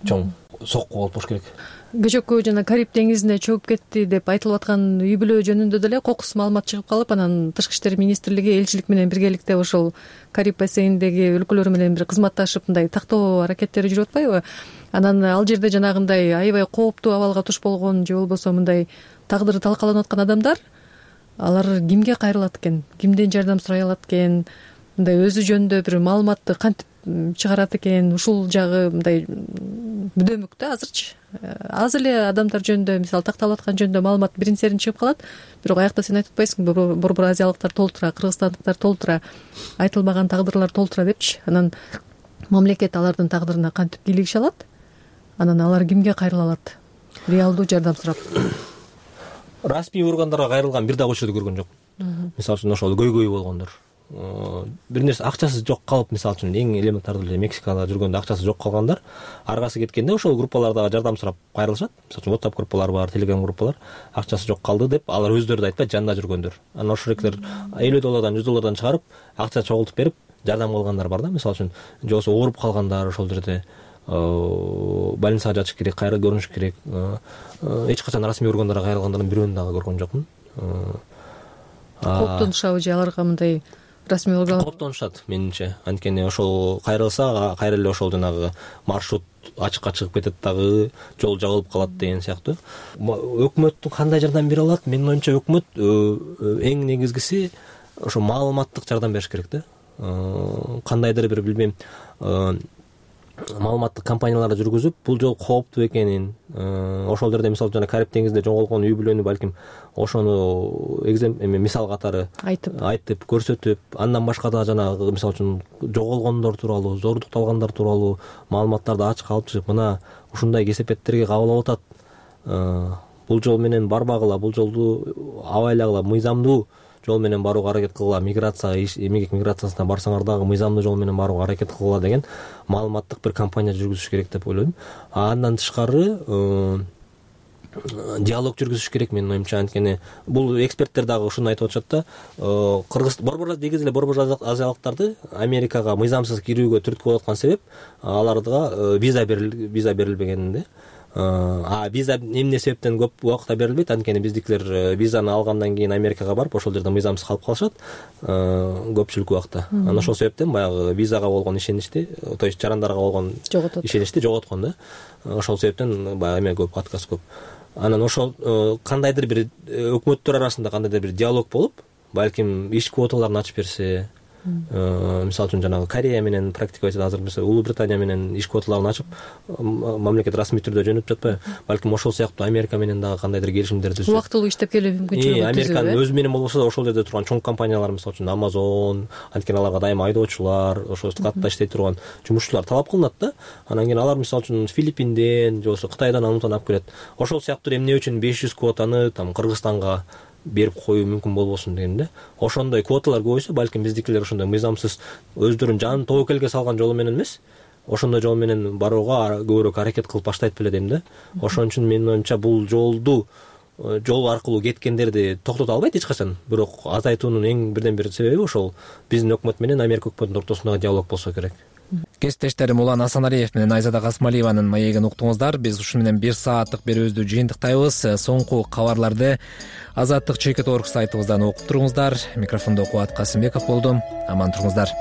чоң сокку болуп туруш керек. Кечөкү жана Кариб деңизине чөгүп кетти деп айтылып аткан үй бүлө жөнүндө деле кокус маалымат чыгып калып, анан Тышкы иштер министрлиги элчилик менен биргеликте ошол Кариб бассейниндеги өлкөлөр менен бир кызматташып мындай тактоо аракеттери жүрүп атпайбы? Анан ал жерде жанагындай аябай кооптуу абалга туш болгон же болбосо мындай тагдыры талкаланып аткан адамдар, алар кимге кайрылат экен, кимден жардам сурай алат экен, мындай өзү жөнүндө бир маалыматты кантип чыгарат экен, ушул жагы мындай бүдөмүк да азырчы. Аз эле адамдар жөнүндө, мисалы такталып аткан жөнүндө маалымат бирин серин чыгып калат, бирок аякта сен айтып атпайсыңбы, борбор азиялыктар толтура, кыргызстандыктар толтура, айтылбаган тагдырлар толтура депчи. Анан мамлекет алардын тагдырына кантип кийлигише алат? Анан алар кимге кайрыла алат? Реалдуу жардам сурап. Расмий органдарга кайрылган бир дагы учурду көргөн жокмун. Мисалы үчүн ошол көйгөй болгондор, бир нерсе акчасы жок калып, мисалы үчүн эң элементардуу эле Мексикада жүргөндө акчасы жок калгандар аргасы кеткенде ошол группалардагы жардам сурап кайрылышат. Мисалы үчүн WhatsApp группалар бар, Telegram группалар, акчасы жок калды деп алар өздөрү да айтпайт, жанында жүргөндөр. Анан ошол эклер элүү доллардан жүз доллардан чыгарып, акча чогултуп берип жардам кылгандар бар да. Мисалы үчүн же болбосо ооруп калгандар ошол жерде больницага жатыш керек, кайра көрүнүш керек. Эч качан расмий органдарга кайрылгандардын бирөөнү дагы көргөн жокмун. Коптонушабы же аларга мындай расмий орган? Коптонушат менимче. Анткени ошол кайрылса, кайра эле ошол жанагы маршрут ачыкка чыгып кетет дагы, жол жабылып калат деген сыяктуу. Өкмөттүн кандай жардам бере алат? Менин оюмча өкмөт эң негизгиси ошо маалыматтык жардам бериш керек да. Кандайдыр бир билбейм, маалыматтык кампанияларды жүргүзүп, бул жол кооптуу экенин, ошол жерде мисалы жана Кариб деңизинде жоголгон үй бүлөнү балким ошону эме мисал катары айтып айтып көрсөтүп, андан башка да жанагы мисалы үчүн жоголгондор тууралуу, зордукталгандар тууралуу маалыматтарды ачык алып чыгып, мына ушундай кесепеттерге кабыл алып атат, бул жол менен барбагыла, бул жолду абайлагыла, мыйзамдуу жол менен барууга аракет кылгыла, миграция, эмгек миграциясына барсаңар дагы мыйзамдуу жол менен барууга аракет кылгыла деген маалыматтык бир кампания жүргүзүш керек деп ойлойм. Андан тышкары диалог жүргүзүш керек менин оюмча. Анткени бул эксперттер дагы ушуну айтып атышат да, кыргыз борбор негизи эле борбор азиялыктарды Америкага мыйзамсыз кирүүгө түрткү болуп аткан себеп аларга виза берил виза берилбегенинде. а виза эмне себептен көп убакытта берилбейт, анткени биздикилер визаны алгандан кийин Америкага барып ошол жерде мыйзамсыз калып калышат көпчүлүк убакта. Анан ошол себептен баягы визага болгон ишеничти, то есть жарандарга болгон ишеничти жоготкон да. Ошол себептен баягы эме көп, отказ көп. Анан ошол кандайдыр бир өкмөттөр арасында кандайдыр бир диалог болуп, балким иш квоталарын ачып берсе, мисалы үчүн жанагы Корея менен практиковать этет, азыр мисалы Улуу Британия менен иш квоталарын ачып мамлекет расмий түрдө жөнөтүп жатпайбы, балким ошол сыяктуу Америка менен дагы кандайдыр келишимдер түзүп убактылуу иштеп келүү мүмкүнчүлүгү түзүп, Американын өзү менен болбосо да ошол жерде турган чоң компаниялар, мисалы үчүн Amazon, анткени аларга дайыма айдоочулар, ошол катта иштей турган жумушчулар талап кылынат да. Анан кийин алар мисалы үчүн Филиппинден же болбосо Кытайдан анутан алып келет. Ошол сыяктуу эмне үчүн беш жүз квотаны там Кыргызстанга берип коюу мүмкүн болбосун деген да. Ошондой квоталар көбөйсө, балким биздикилер ошондой мыйзамсыз өздөрүнүн жанын тобокелге салган жолу менен эмес, ошондой жол менен барууга көбүрөөк аракет кылып баштайт беле дейм да. Ошон үчүн менин оюмча бул жолду жол аркылуу кеткендерди токтото албайт эч качан, бирок азайтуунун эң бирден бир себеби ошол биздин өкмөт менен Америка өкмөтүнүн ортосундагы диалог болсо керек. Кесиптештерим Улан Асаналиев менен Айзада Касмалиеванын маегин уктуңуздар. Биз ушуну менен бир сааттык берүүбүздү жыйынтыктайбыз. Соңку кабарларды Азаттык чекит орг сайтыбыздан окуп туруңуздар. Микрофондо Кубат Касымбеков болдум. Аман туруңуздар.